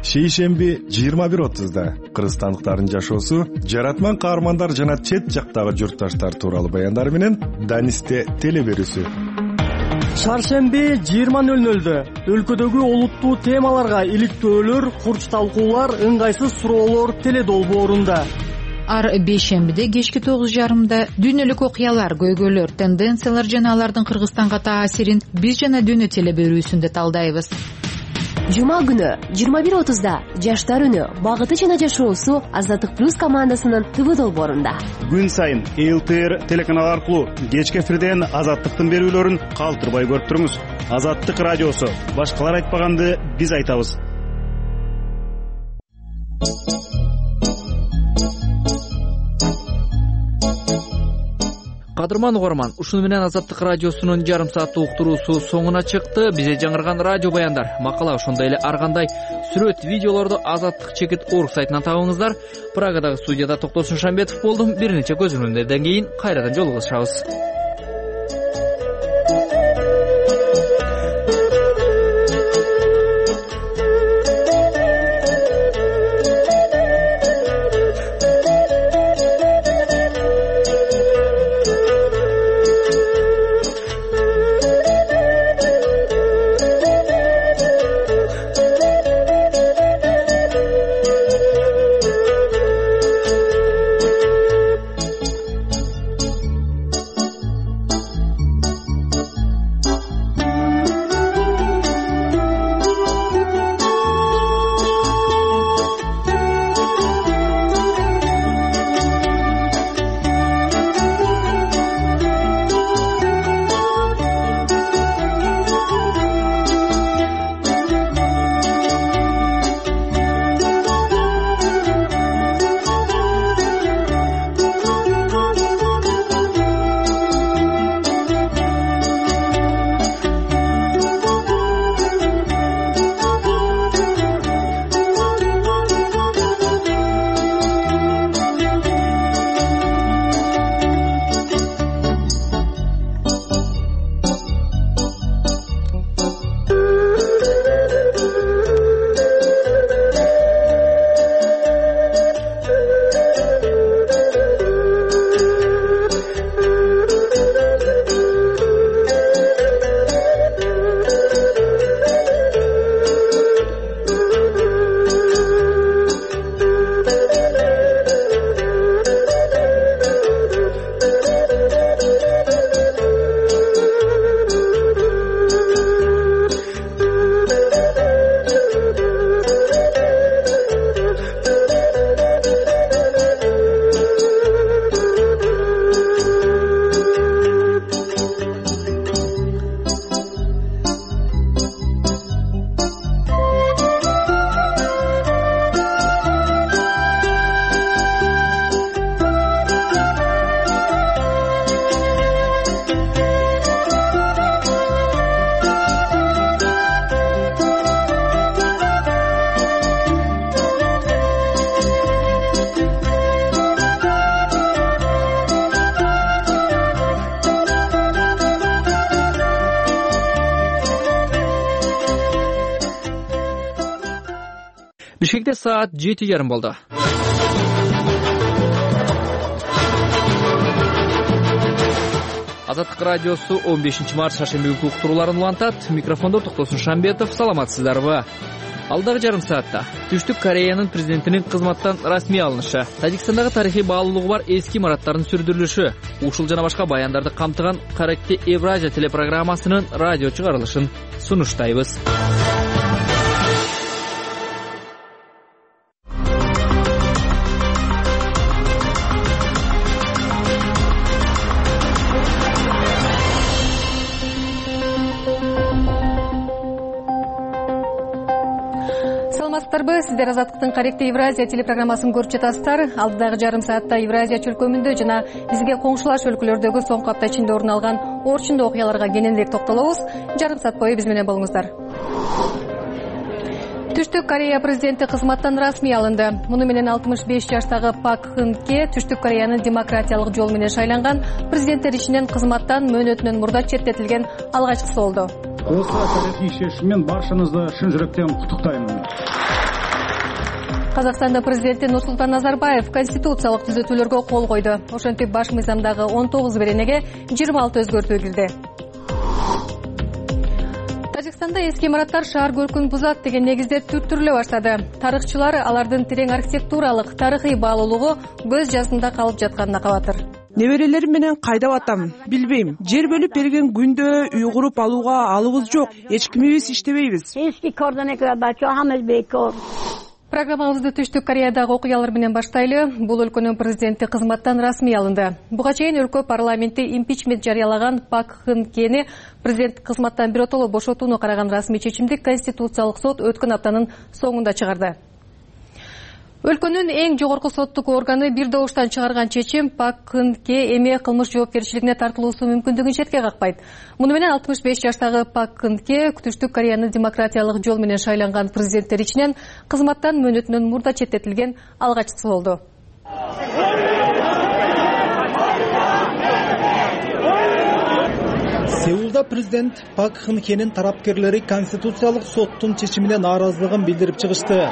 Шейшемби жыйырма бир отузда кыргызстандыктардын жашоосу, жаратман каармандар жана чет жактагы журтташтар тууралуу баяндар менен Данисте телеберүүсү. Шаршемби жыйырма нөл нөлдө өлкөдөгү олуттуу темаларга иликтөөлөр, курч талкуулар, ыңгайсыз суроолор теледолбоорунда. Ар бейшембиде кечки тогуз жарымда дүйнөлүк окуялар, көйгөйлөр, тенденциялар жана алардын Кыргызстанга таасирин биз жана дүйнө телеберүүсүндө талдайбыз. Жума күнү жыйырма бир отузда жаштар үнү, багыты жана жашоосу Азаттык плюс командасынын ТВ долбоорунда. Күн сайын эл тэ эр телеканалы аркылуу кечки эфирден Азаттыктын берүүлөрүн калтырбай көрүп туруңуз. Азаттык радиосу, башкалар айтпаганды биз айтабыз. Кадырман угарман, ушуну менен Азаттык радиосунун жарым сааттык уктуруусу соңуна чыкты. Бизде жаңырган радио баяндар, макала, ошондой эле ар кандай сүрөт, видеолорду Азаттык чекит орг сайтынан табыңыздар. Прагадагы студияда Токтосун Шамбетов болдум. Бир нече көзөмөлдөрдөн кийин кайрадан жолугушабыз. Бишкекте саат жети жарым болду. Азаттык радиосу он бешинчи март шаршемби күнкү уктурууларын улантат. Микрофондо Токтосун Шамбетов. Саламатсыздарбы? Алдагы жарым саатта Түштүк Кореянын президентинин кызматтан расмий алынышы, Тажикстандагы тарыхый баалуулугу бар эски имараттардын сүрдүрүлүшү, ушул жана башка баяндарды камтыган Каректи Евразия телепрограммасынын радио чыгарылышын сунуштайбыз. Сиздер Азаттыктын Каректи Евразия телепрограммасын көрүп жатасыздар. Алдыдагы жарым саатта Евразия чөлкөмүндө жана бизге коңшулаш өлкөлөрдөгү соңку апта ичинде орун алган орчундуу окуяларга кененирээк токтолобуз. Жарым саат бою биз менен болуңуздар. Түштүк Корея президенти кызматтан расмий алынды. Муну менен алтымыш беш жаштагы Пак Кын Хе Түштүк Кореянын демократиялык жол менен шайланган президенттер ичинен кызматтан мөөнөтүнөн мурда четтетилген алгачкысы болду. Осы тарихи шешиммен баршаңызды шын жүректен куттуктаймын. Казакстандын президенти Нурсултан Назарбаев конституциялык түзөтүүлөргө кол койду. Ошентип баш мыйзамдагы он тогуз беренеге жыйырма алты өзгөртүү кирди. Тажикстанда эски имараттар шаар көркүн бузат деген негизде түрттүрүлө баштады. Тарыхчылар алардын терең архитектуралык, тарыхый баалуулугу көз жазында калып жатканына кабатыр. Неберелерим менен кайда батам билбейм. Жер бөлүп берген күндө үй куруп алууга алыбыз жок. Эч кимибиз иштебейбиз. Программабызды Түштүк Кореядагы окуялар менен баштайлы. Бул өлкөнүн президенти кызматтан расмий алынды. Буга чейин өлкө парламенти импичмент жарыялаган Пак Кын Хени президент кызматтан биротоло бошотууну караган расмий чечимди Конституциялык сот өткөн аптанын соңунда чыгарды. Өлкөнүн эң жогорку соттук органы бир добуштан чыгарган чечим Пак Кын Хе эми кылмыш жоопкерчилигине тартылуусу мүмкүндүгүн четке какпайт. Муну менен алтымыш беш жаштагы Пак Кын Хе Түштүк Кореянын демократиялык жол менен шайланган президенттер ичинен кызматтан мөөнөтүнөн мурда четтетилген алгачкысы болду. Сеулда президент Пак Кын Хенин тарапкерлери Конституциялык соттун чечимине нааразылыгын билдирип чыгышты.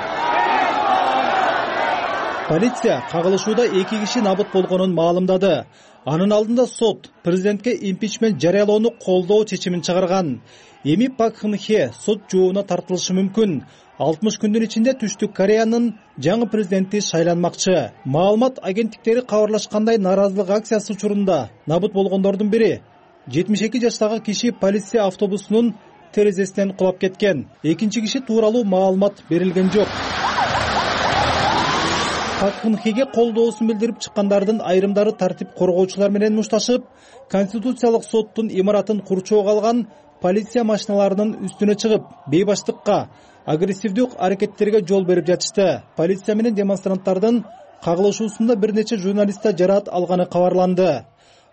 Полиция кагылышууда эки киши набыт болгонун маалымдады. Анын алдында сот президентке импичмент жарыялоону колдоо чечимин чыгарган. Эми Пак Кын Хе сот жообуна тартылышы мүмкүн. алтымыш күндүн ичинде Түштүк Кореянын жаңы президенти шайланмакчы. Маалымат агенттиктери кабарлашкандай нааразылык акциясы учурунда набыт болгондордун бири жетимиш эки жаштагы киши полиция автобусунун терезесинен кулап кеткен. Экинчи киши тууралуу маалымат берилген жок. Пак Кын Хеге колдоосун билдирип чыккандардын айрымдары тартип коргоочулар менен мушташып, Конституциялык соттун имаратын курчоого алган полиция машиналарынын үстүнө чыгып, бейбаштыкка, агрессивдүү аракеттерге жол берип жатышты. Полиция менен демонстранттардын кагылышуусунда бир нече журналистта жараат алганы кабарланды.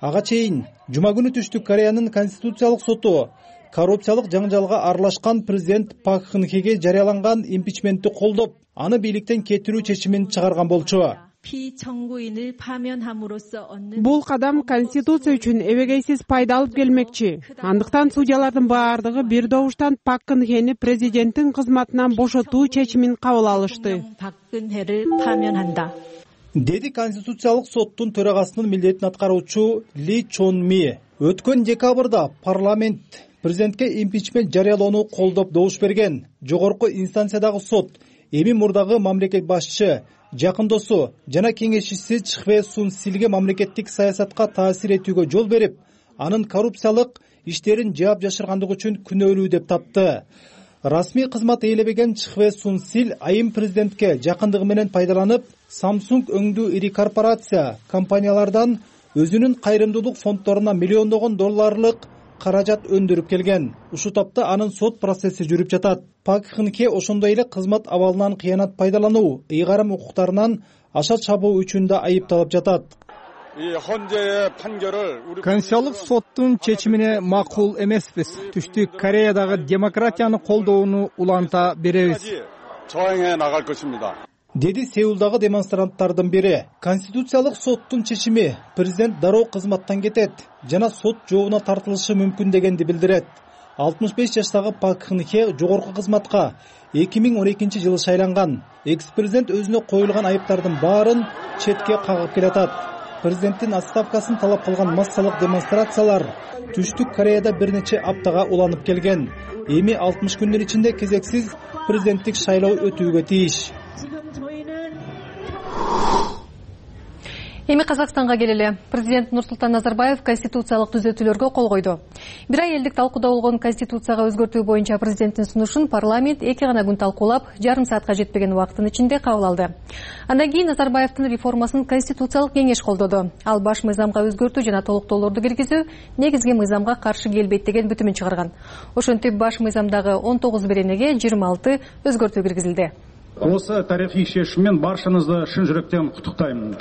Ага чейин жума күнү Түштүк Кореянын Конституциялык соту коррупциялык жаңжалга аралашкан президент Пак Кын Хеге жарыяланган импичментти колдоп, аны бийликтен кетирүү чечимин чыгарган болчу. Бул кадам Конституция үчүн эбегейсиз пайда алып келмекчи. Андыктан судьялардын баардыгы бир добуштан Пак Кын Хени президенттин кызматынан бошотуу чечимин кабыл алышты. Деди Конституциялык соттун төрагасынын милдетин аткаруучу Ли Чон Ми. Өткөн декабрда парламент президентке импичмент жарыялоону колдоп добуш берген. Жогорку инстанциядагы сот эми мурдагы мамлекет башчы, жакын досу жана кеңешчиси Чхве Сун Силге мамлекеттик саясатка таасир этүүгө жол берип, анын коррупциялык иштерин жаап жашыргандыгы үчүн күнөөлүү деп тапты. Расмий кызмат ээлебеген Чхве Сун Сил айым президентке жакындыгы менен пайдаланып, Samsung өңдүү ири корпорация компаниялардан өзүнүн кайрымдуулук фонддоруна миллиондогон долларлык каражат өндүрүп келген. Ушул тапта анын сот процесси жүрүп жатат. Пак Кын Хе ошондой эле кызмат абалынан кыянат пайдалануу, ыйгарым укуктарынан аша чабуу үчүн да айыпталып жатат. Конституциялык соттун чечимине макул эмеспиз. Түштүк Кореядагы демократияны колдоону уланта беребиз. Деди Сеулдагы демонстранттардын бири. Конституциялык соттун чечими президент дароо кызматтан кетет жана сот жообуна тартылышы мүмкүн дегенди билдирет. алтымыш беш жаштагы Пак Кын Хе жогорку кызматка эки миң он экинчи жылы шайланган. Экс президент өзүнө коюлган айыптардын баарын четке кагып келатат. Президенттин отставкасын талап кылган массалык демонстрациялар Түштүк Кореяда бир нече аптага уланып келген. Эми алтымыш күндүн ичинде кезексиз президенттик шайлоо өтүүгө тийиш. Эми Казакстанга келели. Президент Нурсултан Назарбаев конституциялык түзөтүүлөргө кол койду. Бир ай элдик талкууда болгон конституцияга өзгөртүү боюнча президенттин сунушун парламент эки гана күн талкуулап, жарым саатка жетпеген убакыттын ичинде кабыл алды. Андан кийин Назарбаевдин реформасын конституциялык кеңеш колдоду. Ал баш мыйзамга өзгөртүү жана толуктоолорду киргизүү негизги мыйзамга каршы келбейт деген бүтүмүн чыгарган. Ошентип баш мыйзамдагы он тогуз беренеге жыйырма алты өзгөртүү киргизилди. Осы тарихи шешиммен баршаңызды шын жүректен куттуктаймын.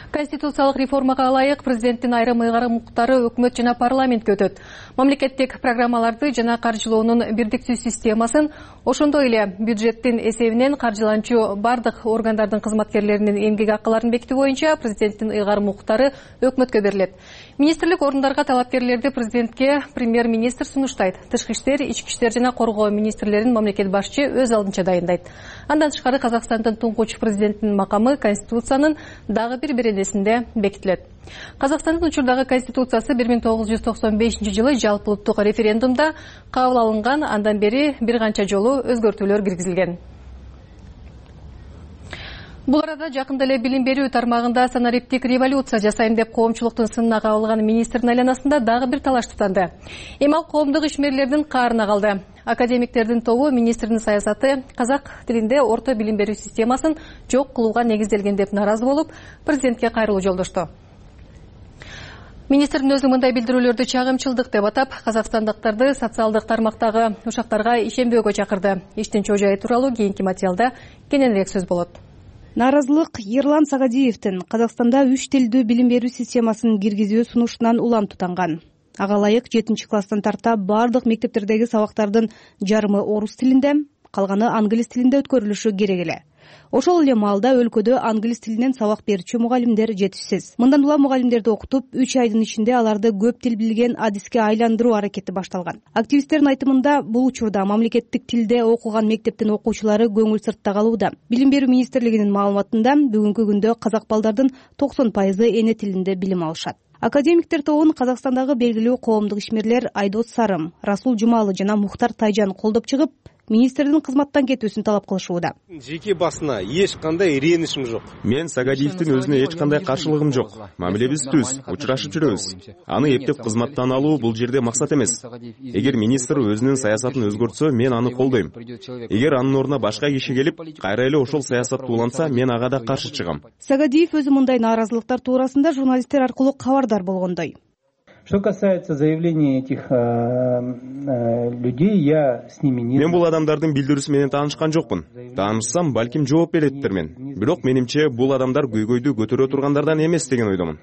Конституциялык реформага ылайык президенттин айрым ыйгарым укуктары өкмөт жана парламентке өтөт. Мамлекеттик программаларды жана каржылоонун бирдиктүү системасын, ошондой эле бюджеттин эсебинен каржыланчу бардык органдардын кызматкерлеринин эмгек акыларын бекитүү боюнча президенттин ыйгарым укуктары өкмөткө берилет. Министрлик орундарга талапкерлерди президентке премьер-министр сунуштайт. Тышкы иштер, ички иштер жана коргоо министрлерин мамлекет башчы өз алдынча дайындайт. Андан тышкары Казакстандын туңгуч президентинин макамы Конституциянын дагы бир беренесинде бекитилет. Казакстандын учурдагы конституциясы бир миң тогуз жүз токсон бешинчи жылы жалпы улуттук референдумда кабыл алынган, андан бери бир канча жолу өзгөртүүлөр киргизилген. Бул арада жакында эле билим берүү тармагында санариптик революция жасайм деп коомчулуктун сынына кабылган министрдин айланасында дагы бир талаш туктанды. Эми ал коомдук ишмерлердин каарына калды. Академиктердин тобу министрдин саясаты казак тилинде орто билим берүү системасын жок кылууга негизделген деп нааразы болуп, президентке кайрылуу жолдошту. Министрдин өзү мындай билдирүүлөрдү чагымчылдык деп атап, казакстандыктарды социалдык тармактагы ушактарга ишенбөөгө чакырды. Иштин чоо-жайы тууралуу кийинки материалда кененирээк сөз болот. Нааразылык Ерлан Сагадиевдин Казакстанда үч тилдүү билим берүү системасын киргизүү сунушунан улам тутанган. Ага ылайык жетинчи класстан тарта бардык мектептердеги сабактардын жарымы орус тилинде, калганы англис тилинде өткөрүлүшү керек эле. Ошол эле маалда өлкөдө англис тилинен сабак берүүчү мугалимдер жетишсиз. Мындан улам мугалимдерди окутуп, үч айдын ичинде аларды көп тил билген адиске айландыруу аракети башталган. Активисттердин айтымында, бул учурда мамлекеттик тилде окуган мектептин окуучулары көңүл сыртта калууда. Билим берүү министрлигинин маалыматында бүгүнкү күндө казак балдардын токсон пайызы эне тилинде билим алышат. Академиктер тобун Казакстандагы белгилүү коомдук ишмерлер Айдос Сарым, Расул Жумалы жана Мухтар Тайжан колдоп чыгып, министрдин кызматтан кетүүсүн талап кылышууда. Жеке басына эч кандай ренишим жок. Мен Сагадиевдин өзүнө эч кандай каршылыгым жок. Мамилебиз түз, учурашып жүрөбүз. Аны эптеп кызматтан алуу бул жерде максат эмес. Эгер министр өзүнүн саясатын өзгөртсө, мен аны колдойм. Эгер анын ордуна башка киши келип, кайра эле ошол саясатты улантса, мен ага да каршы чыгам. Сагадиев өзү мындай нааразылыктар туурасында журналисттер аркылуу кабардар болгондой. Что касается заявлений этих э, э, людей, я с ними не... Мен бул адамдардын билдирүүсү менен таанышкан жокмун. Таанышсам, балким жооп береттермен. Бирок менимче бул адамдар көйгөйдү көтөрө тургандардан эмес деген ойдомун.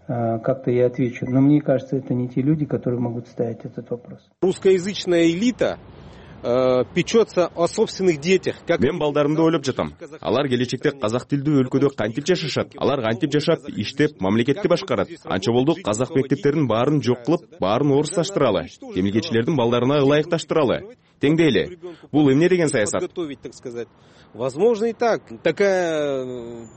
Э, как-то я отвечу. Но мне кажется, это не те люди, которые могут ставить этот вопрос. Русскоязычная элита печется о собственных детях. Мен балдарымды ойлоп жатам. Алар келечекте казак тилдүү өлкөдө кантип жашашат? Алар кантип жашап, иштеп, мамлекетти башкарат? Анча болду казак мектептерин баарын жок кылып, баарын орусташтыралы. Темилгечилердин балдарына ылайыкташтыралы. Теңдейли. Бул эмне деген саясат? Возможно и так. Такая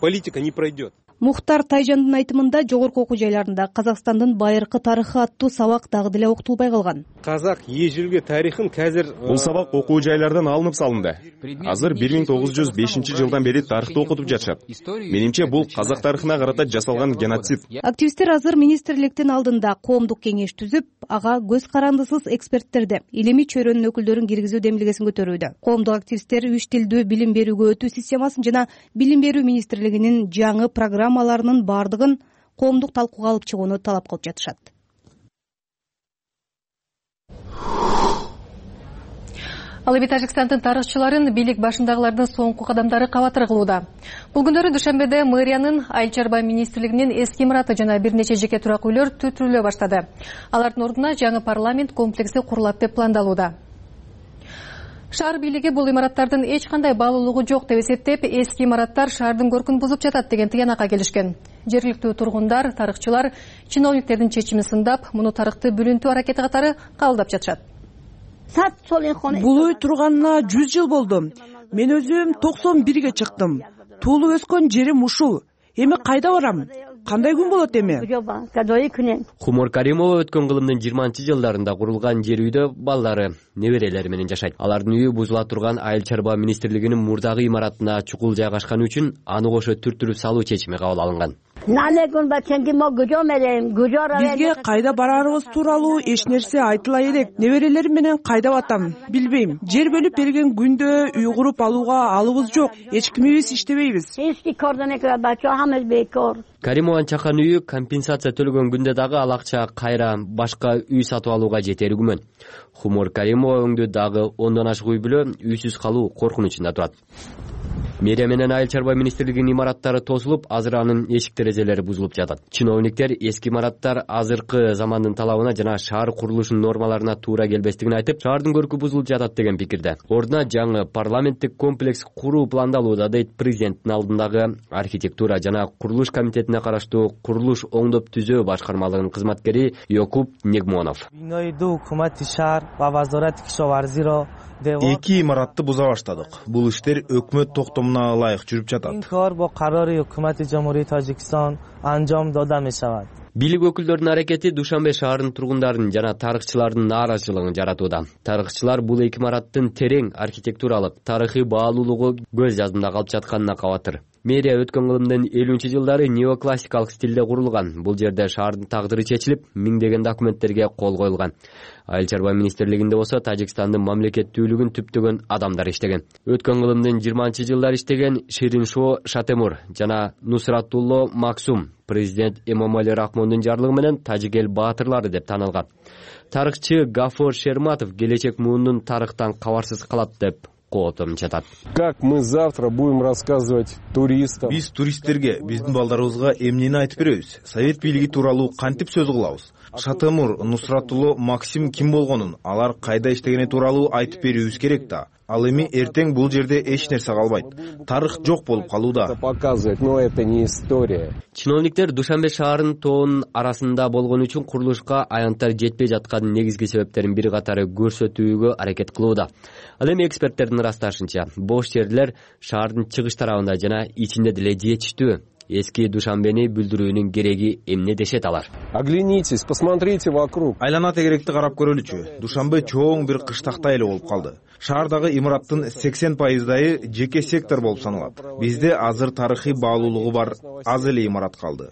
политика не пройдет. Мухтар Тайжандын айтымында жогорку окуу жайларында Казакстандын байыркы тарыхы аттуу сабак дагы деле окутулбай калган. Казак ежелгі тарыхын қазір... Бул сабак окуу жайлардан алынып салынды. Азыр бир миң тогуз жүз бешинчи жылдан бери тарыхты окутуп жатышат. Менимче бул казак тарыхына карата жасалган геноцид. Активисттер азыр министрликтин алдында коомдук кеңеш түзүп, ага көз карандысыз эксперттерди, илимий чөйрөнүн өкүлдөрүн киргизүү демилгесин көтөрүүдө. Коомдук активисттер үч тилдүү билим берүүгө өтүү системасын жана билим берүү министрлигинин жаңы программаларынын бардыгын коомдук талкууга алып чыгууну талап кылып жатышат. Ал эми Тажикстандын тарыхчыларын бийлик башындагылардын соңку кадамдары кабатыр кылууда. Бул күндөрү Душанбеде мэриянын айыл чарба министрлигинин эски имараты жана бир нече жеке турак үйлөр түтүрүлө баштады. Алардын ордуна жаңы парламент комплекси курулат деп пландалууда. Шаар бийлиги бул имараттардын эч кандай баалуулугу жок деп эсептеп, эски имараттар шаардын көркүн бузуп жатат деген тыянакка келишкен. Жергиликтүү тургундар, тарыхчылар чиновниктердин чечимин сындап, муну тарыхты бүлүнтүү аракети катары кабылдап жатышат. Бул үй турганына жүз жыл болду. Мен өзүм токсон бирге чыктым. Туулуп өскөн жерим ушул. Эми кайда барам? Кандай күн болот эми? Хумор Каримова өткөн кылымдын жыйырманчы жылдарында курулган жер үйдө балдары, неберелери менен жашайт. Алардын үйү бузула турган Айыл чарба министрлигинин мурдагы имаратына чукул жайгашканы үчүн аны кошо түртүрүп салуу чечими кабыл алынган. Бизге кайда бараарыбыз тууралуу эч нерсе айтыла элек. Неберелерим менен кайда батам билбейм. Жер бөлүп берген күндө үй куруп алууга алыбыз жок. Эч кимибиз иштебейбиз. Каримованын чакан үйү компенсация төлөгөн күндө дагы ал акча кайра башка үй сатып алууга жетери күмөн. Хумор Каримова өңдө дагы ондон ашык үй бүлө үйсүз калуу коркунучунда турат. Мэрия менен Айыл чарба министрлигинин имараттары тосулуп, азыр анын эшик терезелери бузулуп жатат. Чиновниктер эски имараттар азыркы замандын талабына жана шаар курулушунун нормаларына туура келбестигин айтып, шаардын көркү бузулуп жатат деген пикирде. Ордуна жаңы парламенттик комплекс куруу пландалууда, дейт президенттин алдындагы архитектура жана курулуш комитетине караштуу курулуш оңдоп түзөө башкармалыгынын кызматкери Йокуб Негмонов. Эки имаратты буза баштадык. Бул иштер өкмөт токтомуна ылайык жүрүп жатат. Бийлик өкүлдөрүнүн аракети Душанбе шаарынын тургундарын жана тарыхчылардын нааразычылыгын жаратууда. Тарыхчылар бул эки имараттын терең архитектуралык, тарыхый баалуулугу көз жаздымда калып жатканына кабатыр. Мэрия өткөн кылымдын элүүнчү жылдары неоклассикалык стилде курулган. Бул жерде шаардын тагдыры чечилип, миңдеген документтерге кол коюлган. Айыл чарба министрлигинде болсо Тажикстандын мамлекеттүүлүгүн түптөгөн адамдар иштеген. Өткөн кылымдын жыйырманчы жылдары иштеген Шириншо Шатемур жана Нусратулло Максум президент Эмомали Рахмондун жарлыгы менен тажик эл баатырлары деп танылган. Тарыхчы Гафор Шерматов келечек муунун тарыхтан кабарсыз калат деп коотом жатат. Как мы завтра будем рассказывать туристам? Биз туристтерге, биздин балдарыбызга эмнени айтып беребиз? Совет бийлиги тууралуу кантип сөз кылабыз? Шатемур, Нусратулло Максим ким болгонун, алар кайда иштегени тууралуу айтып берүүбүз керек да. Ал эми эртең бул жерде эч нерсе калбайт. Тарых жок болуп калууда. Показывает, но это не история. Чиновниктер Душанбе шаарынын тоонун арасында болгон үчүн курулушка аянттар жетпей жаткан негизги себептерин бир катары көрсөтүүгө аракет кылууда. Ал эми эксперттердин ырасташынча, бош жерлер шаардын чыгыш тарабында жана ичинде деле жетиштүү. Эски Душанбени бүлдүрүүнүн кереги эмне дешет алар? Оглянитесь, посмотрите вокруг. Айлана тегеректи карап көрөлүчү. Душанбе чоң бир кыштактай эле болуп калды. Шаардагы имараттын сексен пайыздайы жеке сектор болуп саналат. Бизде азыр тарыхый баалуулугу бар аз эле имарат калды.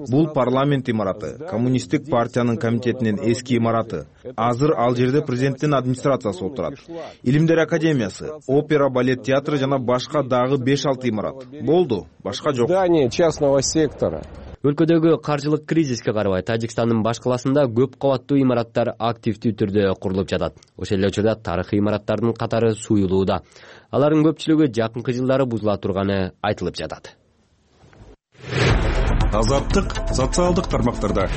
Бул парламент имараты, коммунисттик партиянын комитетинин эски имараты. Азыр ал жерде президенттин администрациясы отурат. Илимдер академиясы, опера, балет театры жана башка дагы беш алты имарат. Болду, башка жок. Здание частного сектора. Өлкөдөгү каржылык кризиске карабай Тажикстандын баш каласында көп кабаттуу имараттар активдүү түрдө курулуп жатат. Ошол эле учурда тарыхый имараттардын катары суюлууда. Алардын көпчүлүгү жакынкы жылдары бузула турганы айтылып жатат. Азаттык социалдык тармактарда.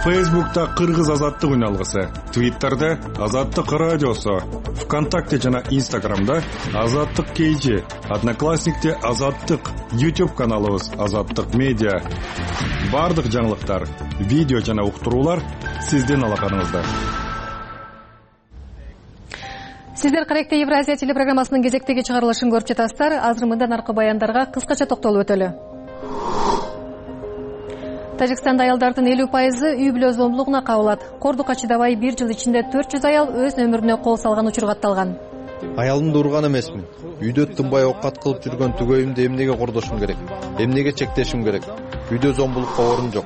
Фейсбукта Кыргыз азаттык үналгысы, Твиттерде Азаттык радиосу, ВКонтакте жана Инстаграмда Азаттык кейжи, Одноклассникте Азаттык, YouTube каналыбыз Азаттык медиа. Бардык жаңылыктар, видео жана уктуруулар сиздин алаканыңызда. Сиздер Каректе Евразия телепрограммасынын кезектеги чыгарылышын көрүп жатасыздар. Азыр мындан аркы баяндарга кыскача токтолуп өтөлү. Тажикстанда аялдардын элүү пайызы үй бүлө зомбулугуна кабылат. Кордукка чыдабай бир жыл ичинде төрт жүз аял өз өмүрүнө кол салган учур катталган. Аялымды урган эмесмин. Үйдө тынбай оокат кылып жүргөн түгөйүмдү эмнеге кордошум керек? Эмнеге чектешим керек? Үйдө зомбулукка орун жок.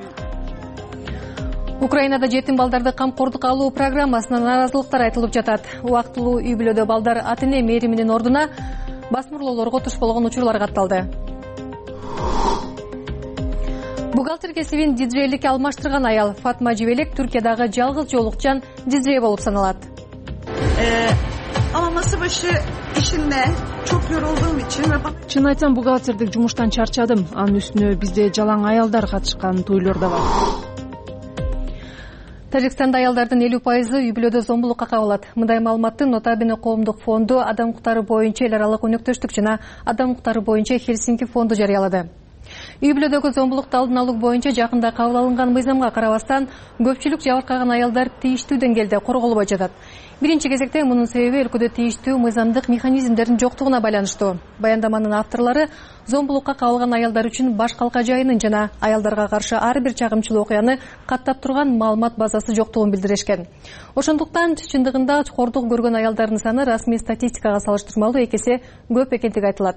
Украинада жетим балдарды камкордукка алуу программасына нааразылыктар айтылып жатат. Убактылуу үй бүлөдө балдар ата-эне мээриминин ордуна басмырлоолорго туш болгон учурлар катталды. Бухгалтер кесибин диджейликке алмаштырган аял Фатма Жибелек Түркиядагы жалгыз жолукчан диджей болуп саналат. Ama masa başı işinde çok yorulduğum için ve Чын айтсам, бухгалтердик жумуштан чарчадым. Анын үстүнө бизде жалаң аялдар катышкан тойлор да бар. Тажикстанда аялдардын элүү пайызы үй бүлөдө зомбулукка кабылат. Мындай маалыматты Нотабино коомдук фонду, адам укуктары боюнча эл аралык өнөктөштүк жана адам укуктары боюнча Хельсинки фонду жарыялады. Үй бүлөдөгү зомбулукту алдын алуу боюнча жакында кабыл алынган мыйзамга карабастан көпчүлүк жабыркаган аялдар тийиштүү деңгээлде корголбой жатат. Биринчи кезекте мунун себеби өлкөдө тийиштүү мыйзамдык механизмдердин жоктугуна байланыштуу. Баяндаманын авторлору зомбулукка кабылган аялдар үчүн баш калка жайынын жана аялдарга каршы ар бир чагымчыл окуяны каттап турган маалымат базасы жоктугун билдиришкен. Ошондуктан чындыгында кордук көргөн аялдардын саны расмий статистикага салыштырмалуу эки эсе көп экендиги айтылат.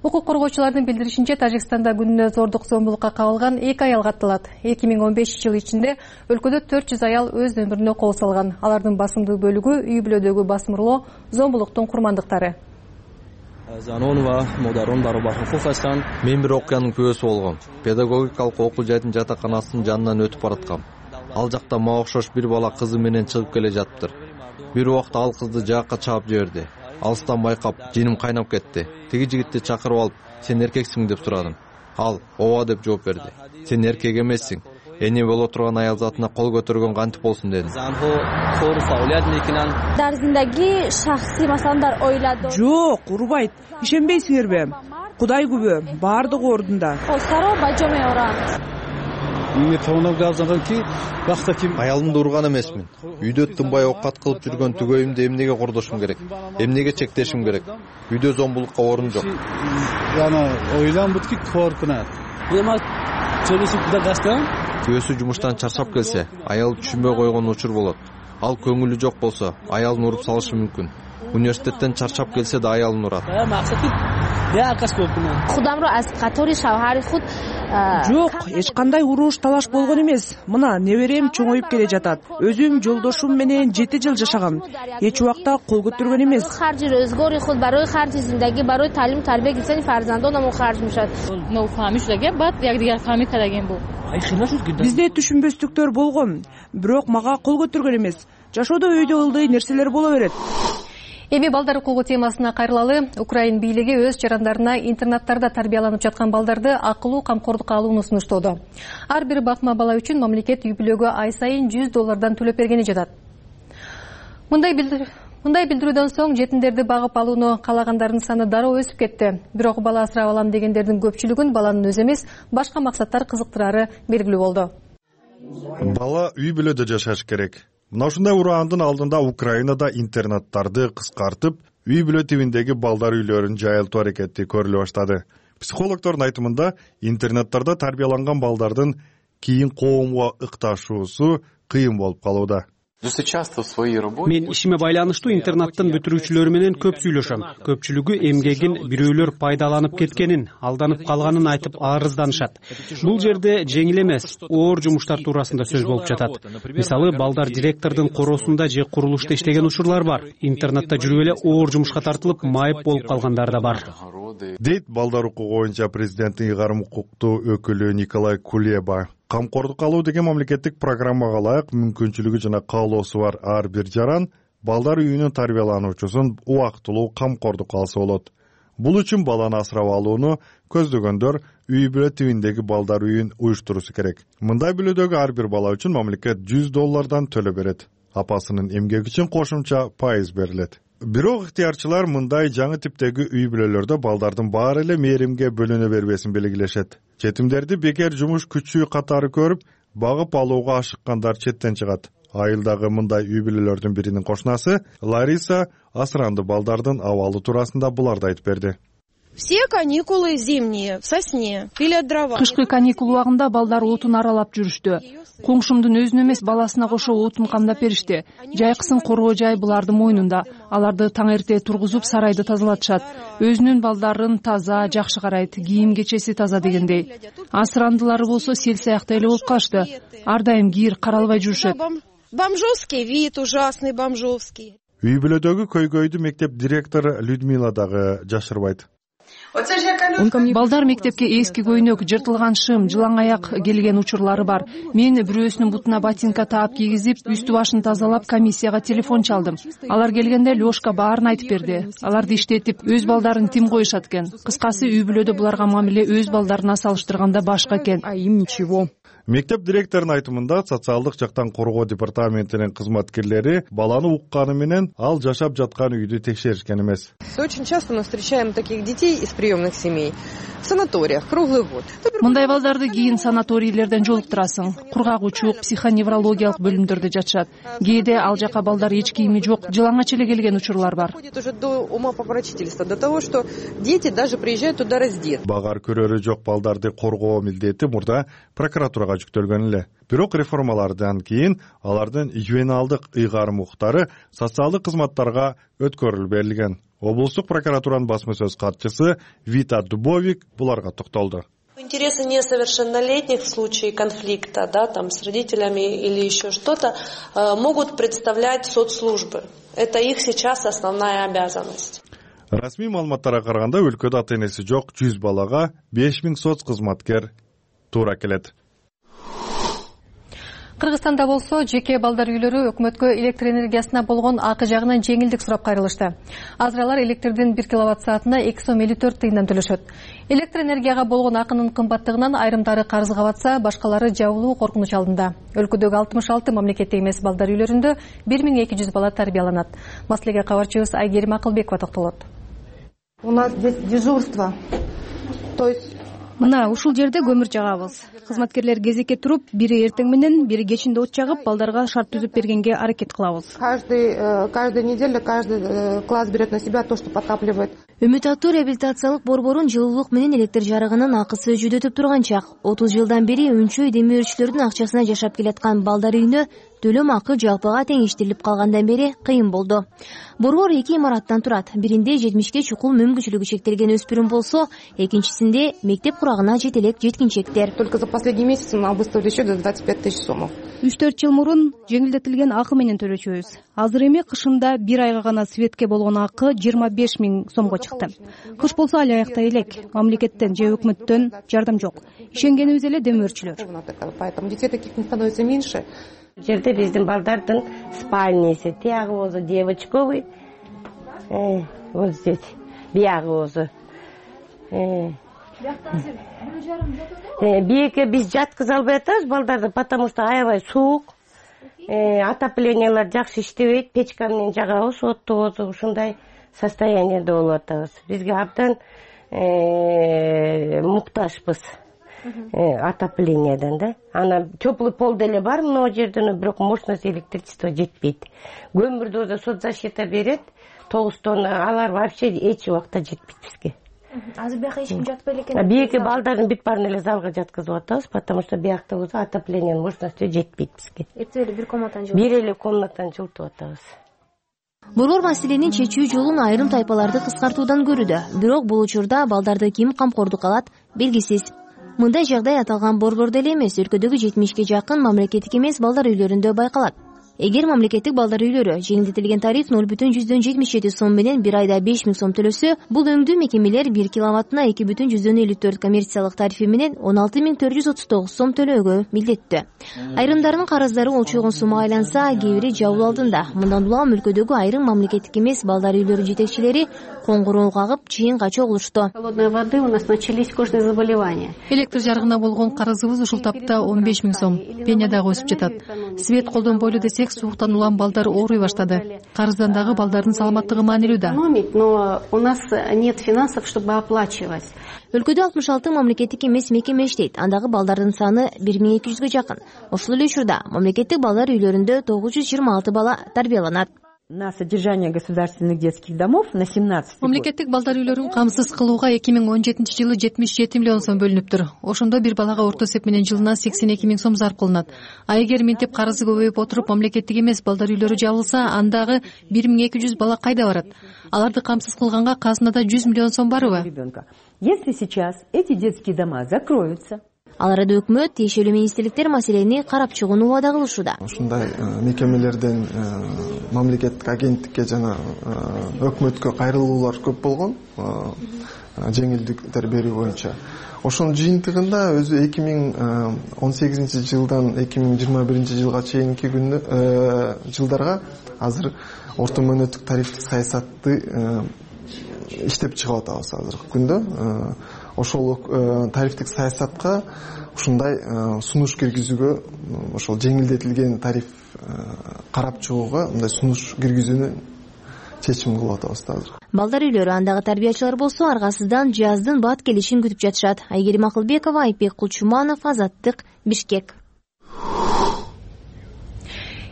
Укук коргоочулардын билдиришинче, Тажикстанда күнүнө зордук зомбулукка кабылган эки аял катталат. эки миң он бешинчи жыл ичинде өлкөдө төрт жүз аял өз өмүрүнө кол салган. Алардын басымдуу бөлүгү үй бүлөдөгү басмырлоо, зомбулуктун курмандыктары. Мен бир окуянын күбөсү болгом. Педагогикалык окуу жайдын жатаканасынын жанынан өтүп бараткам. Ал жакта мага окшош бир бала кызы менен чыгып келе жатыптыр. Бир убакта ал кызды жаакка чаап жиберди. Алыстан байкап, женим кайнап кетти. Тиги жигитти чакырып алып, "Сен эркексиң?" деп сурадым. Ал "Ооба" деп жооп берди. "Сен эркек эмессиң. Эне боло турган аял затына кол көтөргөн кантип болсун" дедим. Жок, урбайт. Ишенбейсиңерби? Кудай күбө, баардыгы ордунда. Аялымды урган эмесмин. Үйдө тынбай оокат кылып жүргөн түгөйүмдү эмнеге кордошум керек? Эмнеге чектешим керек? Үйдө зомбулукка орун жок. Күйөөсү жумуштан чарчап келсе, аялы түшүнбөй койгон учур болот. Ал көңүлү жок болсо, аялын уруп салышы мүмкүн. Университеттен чарчап келсе да аялын урат. Жок, эч кандай уруш талаш болгон эмес. Мына неберем чоңоюп келе жатат. Өзүм жолдошум менен жети жыл жашагам. Эч убакта кол көтөргөн эмес. Бизде түшүнбөстүктөр болгон, бирок мага кол көтөргөн эмес. Жашоодо өйдө ылдый нерселер боло берет. Эми балдар укугу темасына кайрылалы. Украин бийлиги өз жарандарына интернаттарда тарбияланып жаткан балдарды акылуу камкордукка алууну сунуштоодо. Ар бир бакма бала үчүн мамлекет үй бүлөгө ай сайын жүз доллардан төлөп бергени жатат. Мындай билдир Мындай билдирүүдөн соң жетимдерди багып алууну каалагандардын саны дароо өсүп кетти. Бирок бала асырап алам дегендердин көпчүлүгүн баланын өзү эмес, башка максаттар кызыктырары белгилүү болду. Бала үй бүлөдө жашаш керек. Мына ушундай ураандын алдында Украинада интернаттарды кыскартып, үй бүлө тибиндеги балдар үйлөрүн жайылтуу аракети көрүлө баштады. Психологдордун айтымында, интернаттарда тарбияланган балдардын кийин коомго ыкташуусу кыйын болуп калууда. Мен ишиме байланыштуу интернаттын бүтүрүүчүлөрү менен көп сүйлөшөм. Көпчүлүгү эмгегин бирөөлөр пайдаланып кеткенин, алданып калганын айтып арызданышат. Бул жерде жеңил эмес, оор жумуштар туурасында сөз болуп жатат. Мисалы, балдар директордун короосунда же курулушта иштеген учурлар бар. Интернатта жүрүп эле оор жумушка тартылып, майып болуп калгандар да бар. Дейт балдар укугу боюнча президенттин ыйгарым укуктуу өкүлү Николай Кулеба. Камкордук алуу деген мамлекеттик программага ылайык мүмкүнчүлүгү жана каалоосу бар ар бир жаран балдар үйүнүн тарбиялануучусун убактылуу камкордукка алса болот. Бул үчүн баланы асырап алууну көздөгөндөр үй бүлө тибиндеги балдар үйүн уюштуруусу керек. Мындай бүлөдөгү ар бир бала үчүн мамлекет жүз доллардан төлөп берет. Апасынын эмгеги үчүн кошумча пайыз берилет. Бирок ыктыярчылар мындай жаңы типтеги үй бүлөлөрдө балдардын баары эле мээримге бөлүнө бербесин белгилешет. Жетимдерди бекер жумуш күчү катары көрүп, багып алууга ашыккандар четтен чыгат. Айылдагы мындай үй бүлөлөрдүн биринин кошунасы Лариса асыранды балдардын абалы туурасында буларды айтып берди. Все каникулы зимние в сосне пилят дрова. Кышкы каникул убагында балдар отун аралап жүрүштү. Коңшумдун өзүнө эмес, баласына кошо отун камдап беришти. Жайкысын коргоо жай булардын мойнунда. Аларды таң эрте тургузуп сарайды тазалатышат. Өзүнүн балдарын таза, жакшы карайт, кийим кечеси таза дегендей. Асырандылары болсо сел саяктай эле болуп калышты. Ар дайым кир каралбай жүрүшөт. Бомжовский вид, ужасный бомжовский. Үй бүлөдөгү көйгөйдү мектеп директору Людмила дагы жашырбайт. Балдар мектепке эски көйнөк, жыртылган шым, жылаң аяк келген учурлары бар. Мен бирөөсүнүн бутуна ботинка таап кийгизип, үстү башын тазалап, комиссияга телефон чалдым. Алар келгенде Лёшка баарын айтып берди. Аларды иштетип, өз балдарын тим коюшат экен. Кыскасы, үй бүлөдө буларга мамиле өз балдарына салыштырганда башка экен. Үй Мектеп директорунун айтымында социалдык жактан коргоо департаментинин кызматкерлери баланы укканы менен ал жашап жаткан үйдү текшеришкен эмес. Очень часто мы встречаем таких детей из приемных семей в санаториях круглый год. Мындай балдарды кийин санаторийлерден жолуктурасың. Кургагучулук, психоневрологиялык бөлүмдөрдө жашашат. Кээде ал жака балдар эч кийими жок, жылаңач эле келген учурлар бар. Уже до умопомрачительства, до того, что дети даже приезжают туда раздеты. Багар көрөрү жок балдарды коргоо милдети мурда прокуратурага жүктөлгөн эле. Бирок реформалардан кийин алардын ювеналдык ыйгарым укуктары социалдык кызматтарга өткөрүлүп берилген. Облустук прокуратуранын басма сөз катчысы Вита Дубовик буларга токтолду. Интересы несовершеннолетних в случае конфликта, да, там с родителями или еще что-то, могут представлять соцслужбы. Это их сейчас основная обязанность. Расмий маалыматтарга караганда өлкөдө ата-энеси жок жүз балага беш миң соц кызматкер туура келет. Кыргызстанда болсо жеке балдар үйлөрү өкмөткө электр энергиясына болгон акы жагынан жеңилдик сурап кайрылышты. Азыр алар электрдин бир киловатт саатына эки сом элүү төрт тыйындан төлөшөт. Электр энергияга болгон акынын кымбаттыгынан айрымдары карызга батса, башкалары жабылуу коркунуч алдында. Өлкөдөгү алтымыш алты мамлекеттик эмес балдар үйлөрүндө бир миң эки жүз бала тарбияланат. Маселеге кабарчыбыз Айгерим Акылбекова токтолот. У нас здесь дежурство. То есть Мына ушул жерде көмүр жагабыз. Кызматкерлер кезекке туруп, бири эртең менен, бири кечинде от жагып, балдарга шарт түзүп бергенге аракет кылабыз. Каждый каждую неделю каждый класс берет на себя то, что подтапливает. Үмүт аттуу реабилитациялык борборун жылуулук менен электр жарыгынын акысы жүдөтүп турган чак. отуз жылдан бери үнчөй демир өрчүлөрдүн акчасына жашап келаткан балдар үйүнө төлөм акы жалпыга теңиштирилип калгандан бери кыйын болду. Борбор эки имараттан турат. Биринде жетимишке чукул мүмкүнчүлүгү чектелген өспүрүм болсо, экинчисинде мектеп курагына жетелек жеткинчектер. Только за последний месяц нам выставили счет до двадцать пять тысяч сомов. үч төрт жыл мурун жеңилдетилген акы менен төлөчүбүз. Азыр эми кышында бир айга гана светке болгон акы жыйырма беш миң сомго чыкты. Кыш болсо али аяктай элек. Мамлекеттен же өкмөттөн жардам жок. Ишенгенибиз эле демөөрчүлөр. Поэтому детей таких не становится меньше. Жерде биздин балдардын спальниси, тиягы болсо девочковый, вот здесь, биягы болсо. Бийекке биз жаткыза албай атабыз балдарды, потому что аябай суук, отоплениялар жакшы иштебейт, печка менен жагабыз, отту ушундай состояниеде болуп атабыз. Бизге абдан муктажбыз. Отоплениядан да. Ана теплый пол деле бар мына жерден, бирок мощность электричество жетпейт. Көмүрдү да соцзащита берет, тогуз тонна, алар вообще эч убакта жетпейт бизге. Азыр бияка эч ким жатпай экен. Бийеки балдарын бүт баарын эле залга жаткызып атабыз, потому что биякта болсо отоплениянын мощностью жетпейт бизге. Эртең эле бир комнатаны жылытып. Бир эле комнатаны жылытып атабыз. Борбор маселенин чечүү жолун айрым тайпаларды кыскартуудан көрүүдө. Бирок бул учурда балдарды ким камкордукка алат белгисиз. Мындай жагдай аталган борбордо эле эмес, өлкөдөгү жетимишке жакын мамлекеттик эмес балдар үйлөрүндө байкалат. Эгер мамлекеттик балдар үйлөрү жеңилдетилген тариф ноль бүтүн жүздөн жетимиш жети сом менен бир айда беш миң сом төлөсө, бул өңдүү мекемелер бир киловаттына эки бүтүн жүздөн элүү төрт коммерциялык тарифи менен он алты миң төрт жүз отуз тогуз сом төлөөгө милдеттүү. Айрымдарынын карыздары олчогон суммага айланса, кээ бири жабыл алдында. Мындан улам өлкөдөгү айрым мамлекеттик эмес балдар үйлөрү жетекчилери коңгуроо кагып, чыйынга чогулушту. Холодной воды у нас начались кожные заболевания. Электр жарыгына болгон карызыбыз ушул тапта он беш миң сом. Пеня дагы өсүп жатат. Свет колдонбойлу десек, сууктан улам балдар ооруй баштады. Карыздан дагы балдардын саламаттыгы маанилүү да. Но у нас нет финансов, чтобы оплачивать. Өлкөдө алтымыш алты мамлекеттик эмес мекеме иштейт. Андагы балдардын саны бир миң эки жүзгө жакын. Ошол эле учурда мамлекеттик балдар үйлөрүндө тогуз жүз жыйырма алты бала тарбияланат. На содержание государственных детских домов на семнадцать. Мамлекеттик балдар үйлөрүн камсыз кылууга эки миң он жетинчи жылы жетимиш жети миллион сом бөлүнүптүр. Ошондо бир балага орто эсеп менен жылына сексен эки миң сом зарп кылынат. А эгер мынтип карызы көбөйүп отуруп мамлекеттик эмес балдар үйлөрү жабылса, андагы бир миң эки жүз бала кайда барат? Аларды камсыз кылганга казынада жүз миллион сом барбы? Если сейчас эти детские дома закроются, Ал арада өкмөт, тиешелүү министрликтер маселени карап чыгууну убада кылышууда. Ушундай мекемелерден мамлекеттик агенттикке жана өкмөткө кайрылуулар көп болгон, жеңилдиктер берүү боюнча. Ошонун жыйынтыгында өзү эки миң он сегизинчи жылдан эки миң жыйырма биринчи жылга чейинки күндө жылдарга азыр орто мөөнөттүк тарифтик саясатты иштеп чыгып атабыз азыркы күндө. ошол тарифтик саясатка ушундай сунуш киргизүүгө, ошол жеңилдетилген тариф карап чыгууга мындай сунуш киргизүүнү чечим кылып атабыз азыр. Балдар үйлөрү, андагы тарбиячылар болсо аргасыздан жаздын бат келишин күтүп жатышат. Айгерим Акылбекова, Айпек Кулчуманов, Азаттык, Бишкек.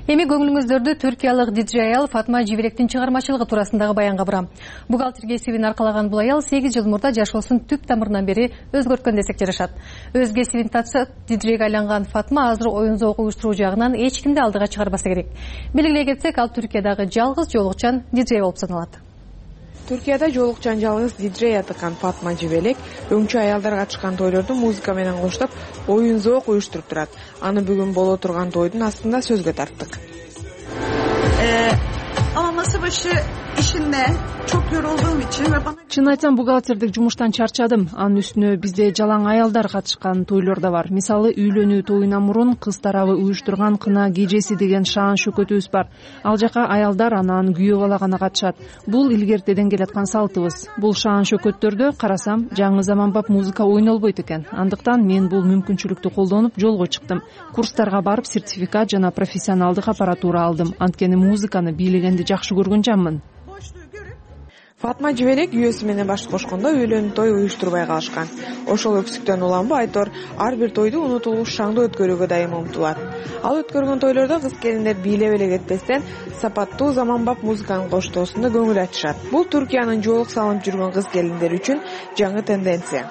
Эми көңүлүңүздөрдү түркиялык диджей аял Фатма Жибелектин чыгармачылыгы туурасындагы баянга бурам. Бухгалтер кесибин аркалаган бул аял сегиз жыл мурда жашоосун түп тамырынан бери өзгөрткөн десек жарашат. Өз кесибин татса диджейге айланган Фатма азыр оюн зоок уюштуруу жагынан эч кимди алдыга чыгарбаса керек. Белгилей кетсек, ал Түркиядагы жалгыз жоолукчан диджей болуп саналат. Түркияда жоолукчан жалгыз диджей атыкан Фатма Жибелек өңчү аялдар катышкан тойлорду музыка менен коштоп, оюн зоок уюштуруп турат. Аны бүгүн боло турган тойдун астында сөзгө тарттык. Ama masa başı işinde çok yorulduğum için ve bana... Чын айтсам, бухгалтердик жумуштан чарчадым. Анын үстүнө бизде жалаң аялдар катышкан тойлор да бар. Мисалы, үйлөнүү тоюна мурун кыз тарабы уюштурган кына кежеси деген шаан шөкөтүбүз бар. Ал жака аялдар анан күйөө бала гана катышат. Бул илгертеден келаткан салтыбыз. Бул шаан шөкөттөрдө карасам, жаңы заманбап музыка ойнолбойт экен. Андыктан мен бул мүмкүнчүлүктү колдонуп жолго чыктым. Курстарга барып сертификат жана профессионалдык аппаратура алдым. Анткени музыканы бийлегенди жакшы көргөн жаммын. Фатма Жибелек күйөөсү менен баш кошкондо үйлөнүү той уюштурбай калышкан. Ошол өксүктөн уланбы Айтор ар бир тойду унутулуш шаңдуу өткөрүүгө дайым умтулат. Ал өткөргөн тойлордо кыз келиндер бийлеп эле кетпестен сапаттуу заманбап музыканын коштоосунда көңүл ачышат. Бул Түркиянын жоолук салынып жүргөн кыз келиндер үчүн жаңы тенденция.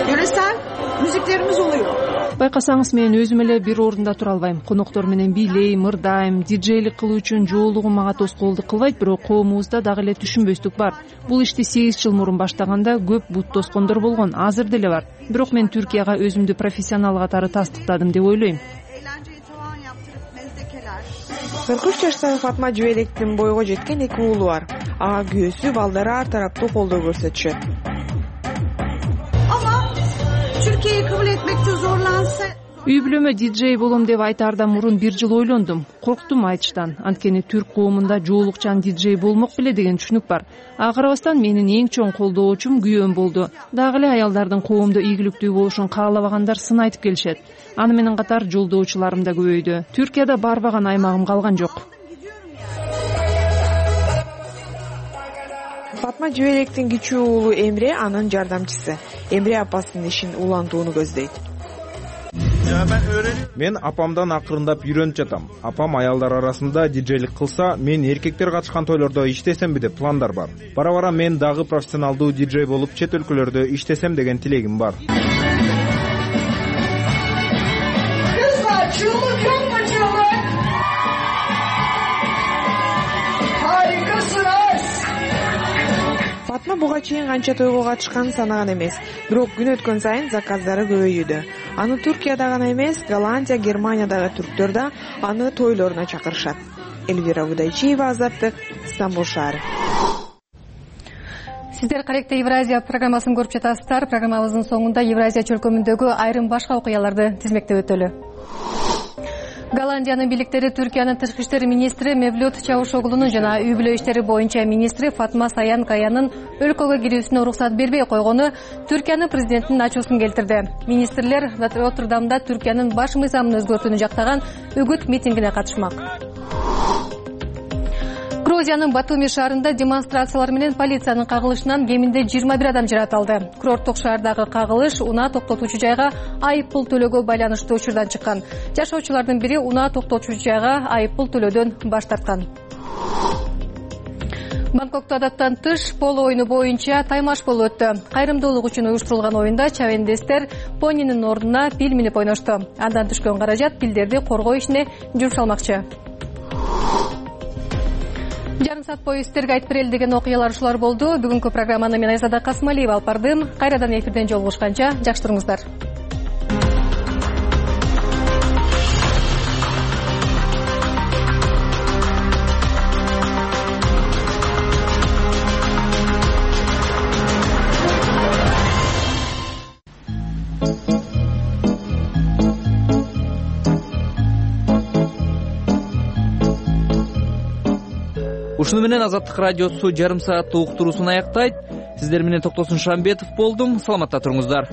Yöresel müziklerimiz oluyor. Байкасаңыз, мен өзүм эле бир орунда тура албайм. Коноктор менен бийлейм, ырдайм, диджейлик кылуу үчүн жоолугум мага тоскоолдук кылбайт, бирок коомубузда дагы эле түшүнбөстүк бар. Бул ишти сегиз жыл мурун баштаганда көп бут тоскондор болгон, азыр деле бар. Бирок мен Түркияга өзүмдү профессионал катары тастыктадым деп ойлойм. кырк үч жаштагы Фатма Жибелектин бойго жеткен эки уулу бар. Ага күйөөсү, балдары ар тараптуу колдоо көрсөтүшөт. Türkiye'yi kabul etmekte zorlansa... Үй бүлөмө диджей болом деп айтаардан мурун бир жыл ойлондум. Корктум айтыштан. Анткени түрк коомунда жоолукчан диджей болмок беле деген түшүнүк бар. Ага карабастан менин эң чоң колдоочум күйөөм болду. Дагы эле аялдардын коомдо ийгиликтүү болушун каалабагандар сын айтып келишет. Аны менен катар жолдоочуларым да көбөйдү. Түркияда барбаган аймагым калган жок. Фатма Жибелектин кичүү уулу Эмре анын жардамчысы. Эмре апасынын ишин улантууну көздөйт. Мен апамдан акырындап үйрөнүп жатам. Апам аялдар арасында диджейлик кылса, мен эркектер катышкан тойлордо иштесемби деп пландар бар. Бара-бара мен дагы профессионалдуу диджей болуп чет өлкөлөрдө иштесем деген тилегим бар. Фатма буга чейин канча тойго катышканын санаган эмес, бирок күн өткөн сайын заказдары көбөйүүдө. Аны Түркияда гана эмес, Голландия, Германиядагы түрктөр да аны тойлоруна чакырышат. Элвира Будайчиева, Азаттык, Стамбул шаары. Сиздер Каректе Евразия программасын көрүп жатасыздар. Программабыздын соңунда Евразия чөлкөмүндөгү айрым башка окуяларды тизмектеп өтөлү. Голландиянын бийликтери Түркиянын тышкы иштер министри Мевлют Чавушоглунун жана үй бүлө иштери боюнча министри Фатма Саян Каянын өлкөгө кирүүсүнө уруксат бербей койгону Түркиянын президентинин ачуусун келтирди. Министрлер Роттердамда Түркиянын баш мыйзамын өзгөртүүнү жактаган үгүт митингине катышмак. Грузиянын Батуми шаарында демонстрациялар менен полициянын кагылышынан кеминде жыйырма бир адам жаратылды. Курорттук шаардагы кагылыш унаа токтотуучу жайга айып пул төлөөгө байланыштуу учурдан чыккан. Жашоочулардын бири унаа токтотуучу жайга айып пул төлөөдөн баш тарткан. Бангкокто адаттан тыш поло оюну боюнча таймаш болуп өттү. Кайрымдуулук үчүн уюштурулган оюнда чабендестер понинин ордуна пил минип ойношту. Андан түшкөн каражат пилдерди коргоо ишине жумшалмакчы. Жарым саат бою сиздерге айтып берели деген окуялар ушулар болду. Бүгүнкү программаны мен Айзада Касмалиева алып бардым. Кайрадан эфирден жолугушканча жакшы туруңуздар. ушуну менен Азаттык радиосу жарым сааттык уктуруусун аяктайт. Сиздер менен Токтосун Шамбетов болдум. Саламатта туруңуздар.